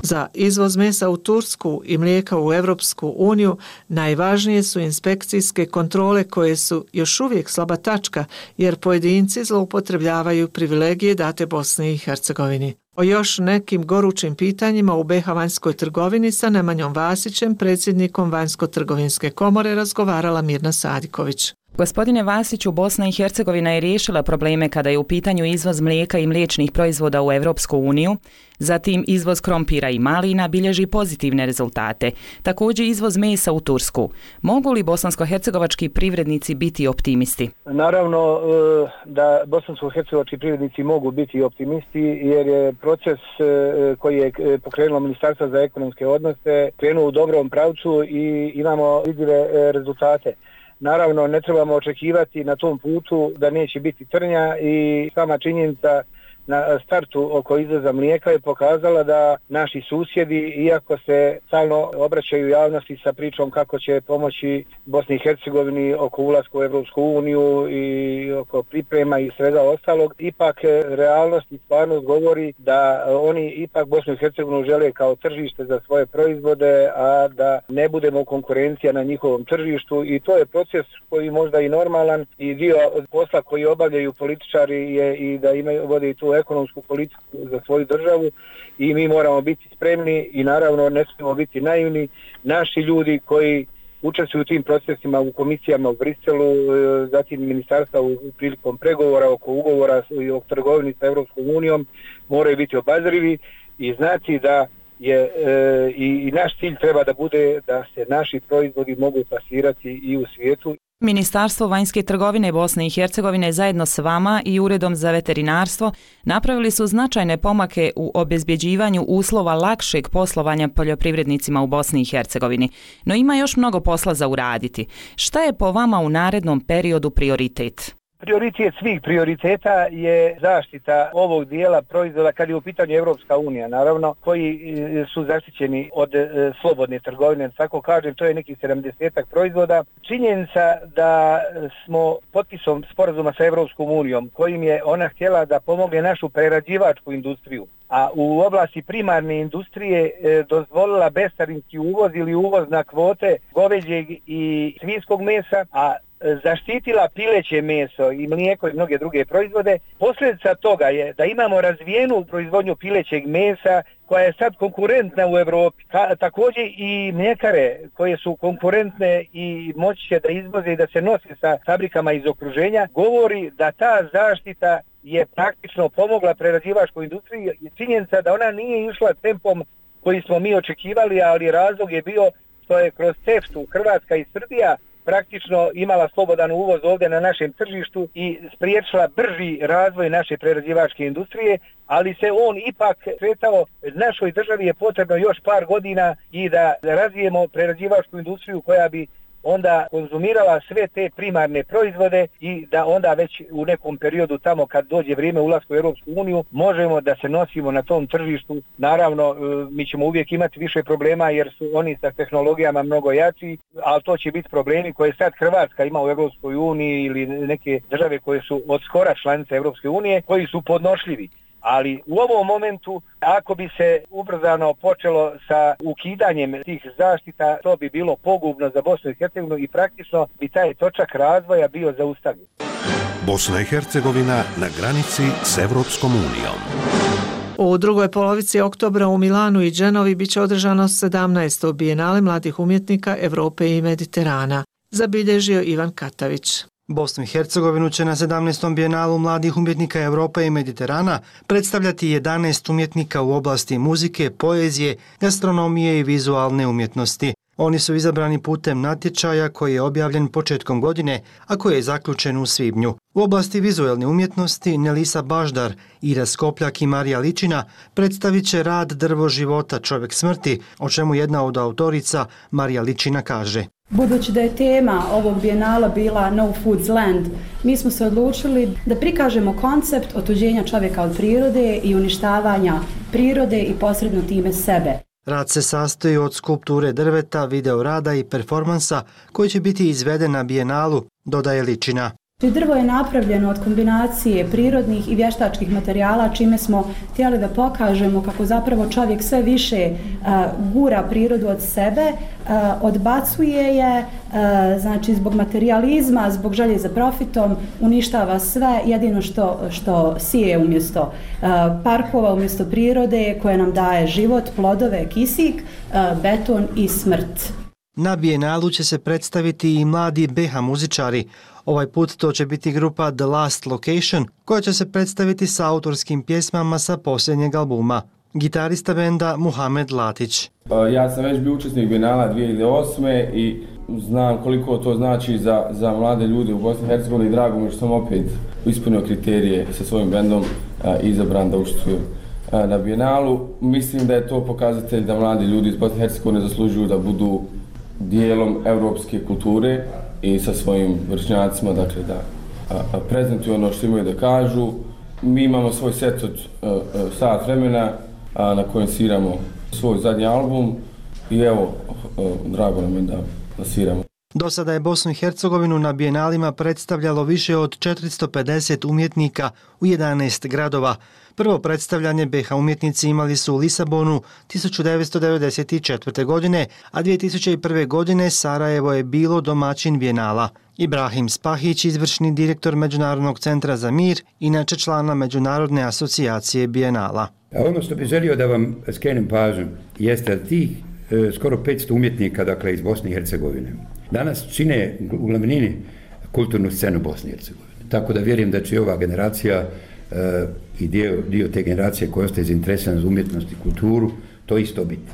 Speaker 8: Za izvoz mesa u Tursku i mlijeka u Evropsku uniju najvažnije su inspekcijske kontrole koje su još uvijek slaba tačka jer pojedinci zloupotrebljavaju privilegije date Bosni i Hercegovini. O još nekim gorućim pitanjima u B i H vanjskoj trgovini sa Nemanjom Vasićem, predsjednikom Vanjsko-trgovinske komore, razgovarala Mirna Sadiković.
Speaker 11: Gospodine Vasiću, Bosna i Hercegovina je riješila probleme kada je u pitanju izvoz mlijeka i mliječnih proizvoda u Evropsku uniju, zatim izvoz krompira i malina bilježi pozitivne rezultate, također izvoz mesa u Tursku. Mogu li bosansko-hercegovački privrednici biti optimisti?
Speaker 13: Naravno da bosansko-hercegovački privrednici mogu biti optimisti jer je proces koji je pokrenulo Ministarstvo za ekonomske odnose krenuo u dobrom pravcu i imamo vidljive rezultate. Naravno, ne trebamo očekivati na tom putu da neće biti trnja i sama činjenica na startu oko izvoza mlijeka je pokazala da naši susjedi, iako se stalno obraćaju javnosti sa pričom kako će pomoći Bosni i Hercegovini oko ulaska u Evropsku uniju i oko priprema i svega ostalog, ipak realnost i stvarnost govori da oni ipak Bosnu i Hercegovinu žele kao tržište za svoje proizvode, a da ne budemo konkurencija na njihovom tržištu i to je proces koji možda i normalan i dio posla koji obavljaju političari je i da imaju, vode i tu ekonomsku politiku za svoju državu i mi moramo biti spremni i naravno ne smijemo biti naivni. Naši ljudi koji učestvuju u tim procesima u komisijama u Briselu, zatim ministarstva u prilikom pregovora oko ugovora i o trgovini sa Evropskom unijom moraju biti obazrivi i znati da je e, i, i naš cilj treba da bude da se naši proizvodi mogu plasirati i u svijetu.
Speaker 11: Ministarstvo vanjske trgovine Bosne i Hercegovine zajedno s vama i Uredom za veterinarstvo napravili su značajne pomake u obezbjeđivanju uslova lakšeg poslovanja poljoprivrednicima u Bosni i Hercegovini. No ima još mnogo posla za uraditi. Šta je po vama u narednom periodu prioritet?
Speaker 13: Prioritet svih prioriteta je zaštita ovog dijela proizvoda kad je u pitanju Evropska unija, naravno, koji su zaštićeni od e, slobodne trgovine, tako kažem, to je nekih sedamdesetak proizvoda. Činjenica da smo potpisom sporazuma sa Evropskom unijom, kojim je ona htjela da pomogne našu prerađivačku industriju, a u oblasti primarne industrije e, dozvolila bescarinski uvoz ili uvoz na kvote goveđeg i svinjskog mesa, a zaštitila pileće meso i mlijeko i mnoge druge proizvode. Posljedica toga je da imamo razvijenu proizvodnju pilećeg mesa koja je sad konkurentna u Europi. Ka, također i mljekare koje su konkurentne i moći će da izvoze i da se nose sa fabrikama iz okruženja, govori da ta zaštita je praktično pomogla prerađivačkoj industriji. Činjenica da ona nije išla tempom koji smo mi očekivali, ali razlog je bio što je kroz CEFTA Hrvatska i Srbija praktično imala slobodan uvoz ovdje na našem tržištu i spriječila brži razvoj naše prerađivačke industrije, ali se on ipak kretao, našoj državi je potrebno još par godina i da razvijemo prerađivačku industriju koja bi onda konzumirala sve te primarne proizvode i da onda već u nekom periodu tamo kad dođe vrijeme ulaska u Europsku uniju možemo da se nosimo na tom tržištu. Naravno, mi ćemo uvijek imati više problema jer su oni sa tehnologijama mnogo jači, ali to će biti problemi koje sad Hrvatska ima u Europskoj uniji ili neke države koje su od skora članice Europske unije, koji su podnošljivi. Ali u ovom momentu, ako bi se ubrzano počelo sa ukidanjem tih zaštita, to bi bilo pogubno za Bosnu i Hercegovinu i praktično bi taj točak razvoja bio zaustavljen.
Speaker 2: Bosna i Hercegovina na granici s Evropskom unijom.
Speaker 8: U drugoj polovici oktobra u Milanu i Dženovi biće održano sedamnaesto Bijenale mladih umjetnika Evrope i Mediterana, zabilježio Ivan Katavić.
Speaker 3: Bosnu i Hercegovinu će na sedamnaestom Bijenalu mladih umjetnika Evrope i Mediterana predstavljati jedanaest umjetnika u oblasti muzike, poezije, gastronomije i vizualne umjetnosti. Oni su izabrani putem natječaja koji je objavljen početkom godine, a koji je zaključen u svibnju. U oblasti vizualne umjetnosti Nelisa Baždar, Ira Skopljak i Marija Ličina predstavit će rad Drvo života, čovjek smrti, o čemu jedna od autorica Marija Ličina kaže.
Speaker 14: Budući da je tema ovog bijenala bila No Food's Land, mi smo se odlučili da prikažemo koncept otuđenja čovjeka od prirode i uništavanja prirode i posredno time sebe.
Speaker 3: Rad se sastoji od skulpture drveta, video rada i performansa koji će biti izveden na bijenalu, dodaje Ličina.
Speaker 14: Drvo je napravljeno od kombinacije prirodnih i vještačkih materijala, čime smo htjeli da pokažemo kako zapravo čovjek sve više uh, gura prirodu od sebe, uh, odbacuje je, uh, znači zbog materijalizma, zbog želje za profitom, uništava sve, jedino što, što sije umjesto uh, parkova, umjesto prirode koje nam daje život, plodove, kisik, uh, beton i smrt.
Speaker 3: Na bijenalu će se predstaviti i mladi B H muzičari. Ovaj put to će biti grupa The Last Location, koja će se predstaviti sa autorskim pjesmama sa posljednjeg albuma. Gitarista benda Muhamed Latić.
Speaker 16: Ja sam već bio učesnik Bijenala dvije hiljade osme i znam koliko to znači za, za mlade ljude u Bosni i Hercegovini i drago mi što sam opet ispunio kriterije sa svojim bendom i izabran da učestvujem na Bijenalu. Mislim da je to pokazatelj da mladi ljudi iz Bosne i Hercegovine zaslužuju da budu dijelom europske kulture i sa svojim vršnjacima, dakle da a, a prezentuju ono što imaju da kažu. Mi imamo svoj set od a, a, sat vremena a, na kojem sviramo svoj zadnji album i evo, a, drago nam je da, da sviramo.
Speaker 3: Do sada je Bosnu i Hercegovinu na bijenalima predstavljalo više od četiristo pedeset umjetnika u jedanaest gradova. Prvo predstavljanje B H umjetnici imali su u Lisabonu tisuću devetsto devedeset četvrte. godine, a dvije tisuće prve. godine Sarajevo je bilo domaćin bijenala. Ibrahim Spahić, izvršni direktor Međunarodnog centra za mir, inače člana Međunarodne asocijacije bijenala.
Speaker 23: A ono što bih želio da vam skrenem pažnju jeste da tih e, skoro petsto umjetnika, dakle iz Bosne i Hercegovine, danas čine u glavnini kulturnu scenu Bosne i Hercegovine. Tako da vjerujem da će i ova generacija uh, i dio, dio te generacije koja ostaje zainteresirana za umjetnost i kulturu, to isto biti.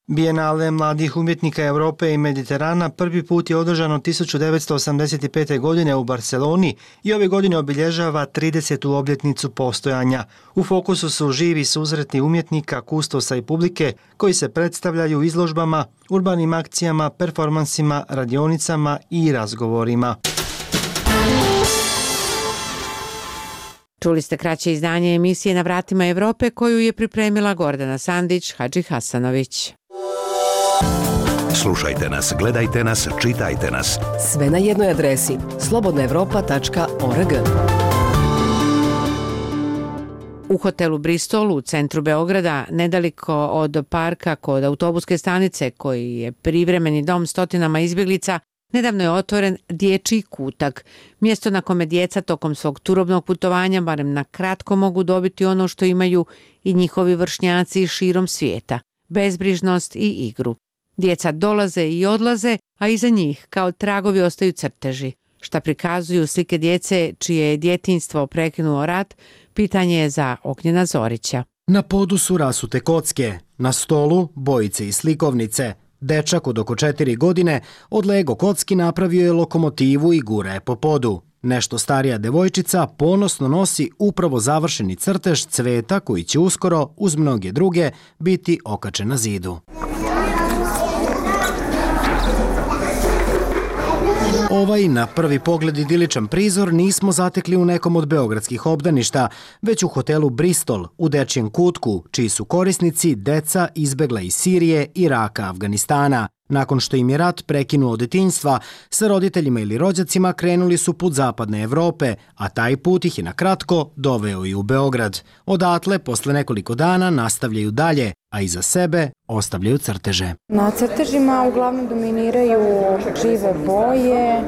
Speaker 3: Bijenale mladih umjetnika Europe i Mediterana prvi put je održano tisuću devetsto osamdeset pete. godine u Barceloni i ove godine obilježava tridesetu obljetnicu postojanja. U fokusu su živi susretni umjetnika, kustosa i publike koji se predstavljaju izložbama, urbanim akcijama, performansima, radionicama i razgovorima.
Speaker 1: Čuli ste kraće izdanje emisije Na vratima Evrope koju je pripremila Gordana Sandić, Hadži Hasanović.
Speaker 2: Slušajte nas, gledajte nas, čitajte nas.
Speaker 17: Sve na jednoj adresi slobodna evropa tačka org.
Speaker 1: U hotelu Bristol u centru Beograda, nedaliko od parka kod autobuske stanice koji je privremeni dom stotinama izbjeglica, nedavno je otvoren dječji kutak, mjesto na kome djeca tokom svog turobnog putovanja barem na kratko mogu dobiti ono što imaju i njihovi vršnjaci širom svijeta, bezbrižnost i igru. Djeca dolaze i odlaze, a iza njih kao tragovi ostaju crteži. Šta prikazuju slike djece čije je djetinjstvo prekinuo rat, pitanje je za Ognjena Zorića.
Speaker 24: Na podu su rasute kocke, na stolu bojice i slikovnice. Dečak od oko četiri godine od Lego kocki napravio je lokomotivu i gura je po podu. Nešto starija devojčica ponosno nosi upravo završeni crtež cveta koji će uskoro, uz mnoge druge, biti okačen na zidu. Ovaj na prvi pogled idiličan prizor nismo zatekli u nekom od beogradskih obdaništa, već u hotelu Bristol u dečijem kutku, čiji su korisnici deca izbegla iz Sirije, Iraka, Afganistana. Nakon što im je rat prekinuo od detinjstva, sa roditeljima ili rođacima krenuli su put zapadne Evrope, a taj put ih je na kratko doveo i u Beograd. Odatle, posle nekoliko dana, nastavljaju dalje, a iza sebe ostavljaju crteže.
Speaker 5: Na crtežima uglavnom dominiraju žive boje,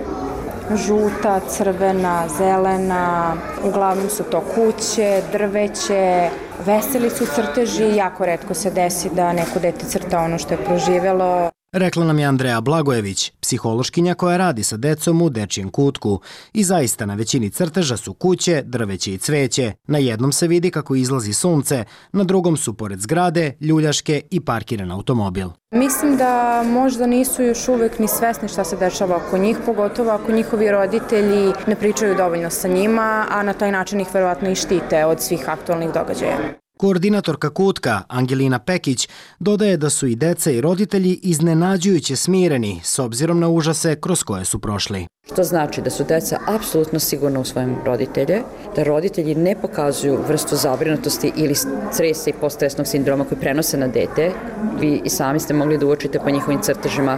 Speaker 5: žuta, crvena, zelena, uglavnom su to kuće, drveće, veseli su crteži, jako retko se desi da neko dete crta ono što je proživelo.
Speaker 24: Rekla nam je Andreja Blagojević, psihološkinja koja radi sa decom u dečijem kutku. I zaista na većini crteža su kuće, drveće i cveće. Na jednom se vidi kako izlazi sunce, na drugom su pored zgrade, ljuljaške i parkiran automobil.
Speaker 5: Mislim da možda nisu još uvek ni svesni šta se dešava oko njih, pogotovo ako njihovi roditelji ne pričaju dovoljno sa njima, a na taj način ih verovatno i štite od svih aktualnih događaja.
Speaker 24: Koordinatorka kutka, Angelina Pekić, dodaje da su i deca i roditelji iznenađujuće smireni s obzirom na užase kroz koje su prošli.
Speaker 10: Što znači da su deca apsolutno sigurna u svojim roditelje, da roditelji ne pokazuju vrstu zabrinutosti ili stresa i poststresnog sindroma koji prenose na dete. Vi i sami ste mogli da uočite po njihovim crtežima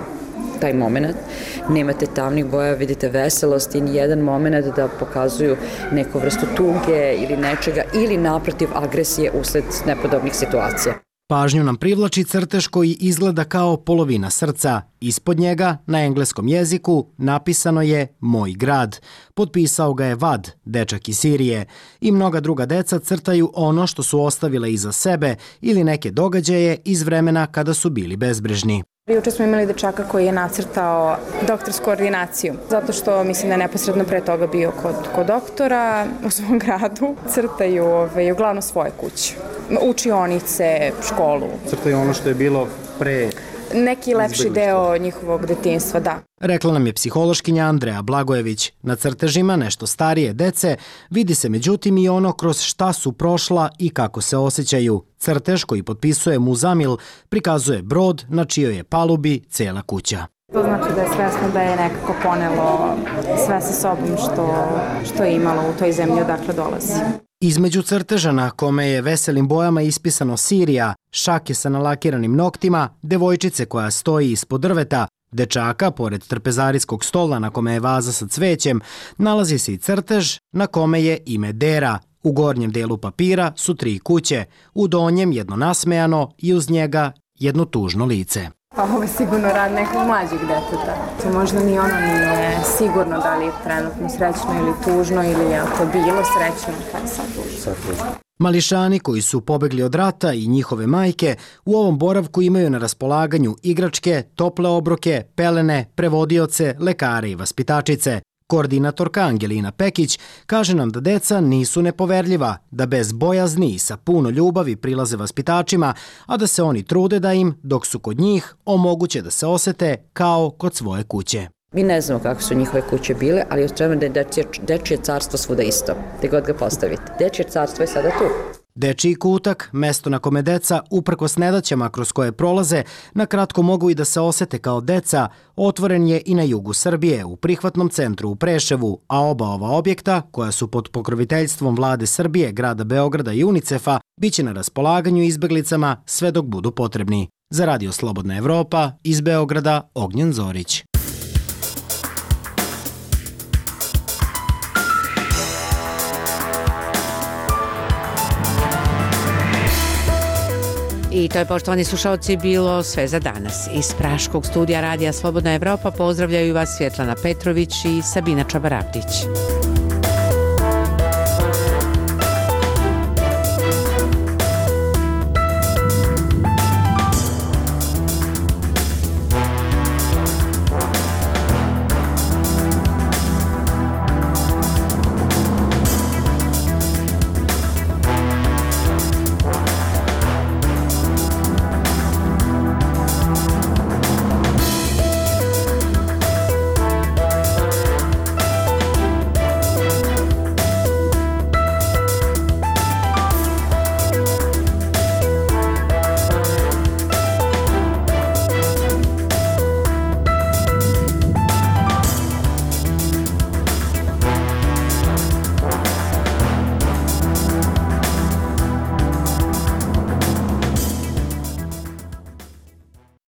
Speaker 10: taj moment. Nemate tamnih boja, vidite veselost i nijedan moment da pokazuju neku vrstu tuge ili nečega ili naprotiv agresije usled nepodobnih situacija.
Speaker 24: Pažnju nam privlači crtež koji izgleda kao polovina srca. Ispod njega, na engleskom jeziku, napisano je Moj grad. Potpisao ga je Vad, dečak iz Sirije. I mnoga druga deca crtaju ono što su ostavile iza sebe ili neke događaje iz vremena kada su bili bezbrižni.
Speaker 5: Juče smo imali dečaka koji je nacrtao doktorsku ordinaciju, zato što mislim da je neposredno pre toga bio kod, kod doktora u svom gradu. Crtaju ove, uglavnom svoje kuće, učionice, školu.
Speaker 24: Crtaju ono što je bilo pre...
Speaker 5: Neki lepši deo njihovog detinjstva, da.
Speaker 24: Rekla nam je psihološkinja Andreja Blagojević. Na crtežima nešto starije dece vidi se međutim i ono kroz šta su prošla i kako se osjećaju. Crtež koji potpisuje Muzamil prikazuje brod na čijoj je palubi cela kuća.
Speaker 5: To znači da je svesno da je nekako ponelo sve sa sobom što, što je imalo u toj zemlji odakle dolazi.
Speaker 24: Između crteža na kome je veselim bojama ispisano Sirija, šake sa nalakiranim noktima, devojčice koja stoji ispod drveta, dečaka pored trpezarijskog stola na kome je vaza sa cvećem, nalazi se i crtež na kome je ime Dera. U gornjem delu papira su tri kuće, u donjem jedno nasmejano i uz njega jedno tužno lice.
Speaker 5: Pa ovo je sigurno rad nekog mlađeg deteta. To možda ni ono nije sigurno da li je trenutno srećno ili tužno ili je to bilo srećno, pa je sad tužno.
Speaker 24: Mališani koji su pobegli od rata i njihove majke u ovom boravku imaju na raspolaganju igračke, tople obroke, pelene, prevodioce, lekare i vaspitačice. Koordinatorka Angelina Pekić kaže nam da deca nisu nepoverljiva, da bez bojazni i sa puno ljubavi prilaze vaspitačima, a da se oni trude da im, dok su kod njih, omoguće da se osete kao kod svoje kuće.
Speaker 10: Mi ne znamo kako su njihove kuće bile, ali očekujemo da je dečije, dečije carstvo svuda isto, gde god ga postavite. Dečije carstvo je sada tu.
Speaker 24: Dečiji kutak, mesto na kome deca, uprkos nedaćama kroz koje prolaze, na kratko mogu i da se osete kao deca, otvoren je i na jugu Srbije, u prihvatnom centru u Preševu, a oba ova objekta, koja su pod pokroviteljstvom vlade Srbije, grada Beograda i UNICEF-a, biće na raspolaganju izbeglicama sve dok budu potrebni. Za Radio Slobodna Evropa, iz Beograda, Ognjen Zorić.
Speaker 1: I to je, poštovani slušalci, bilo sve za danas. Iz Praškog studija Radija Slobodna Evropa pozdravljaju vas Svjetlana Petrović i Sabina Čabaravdić.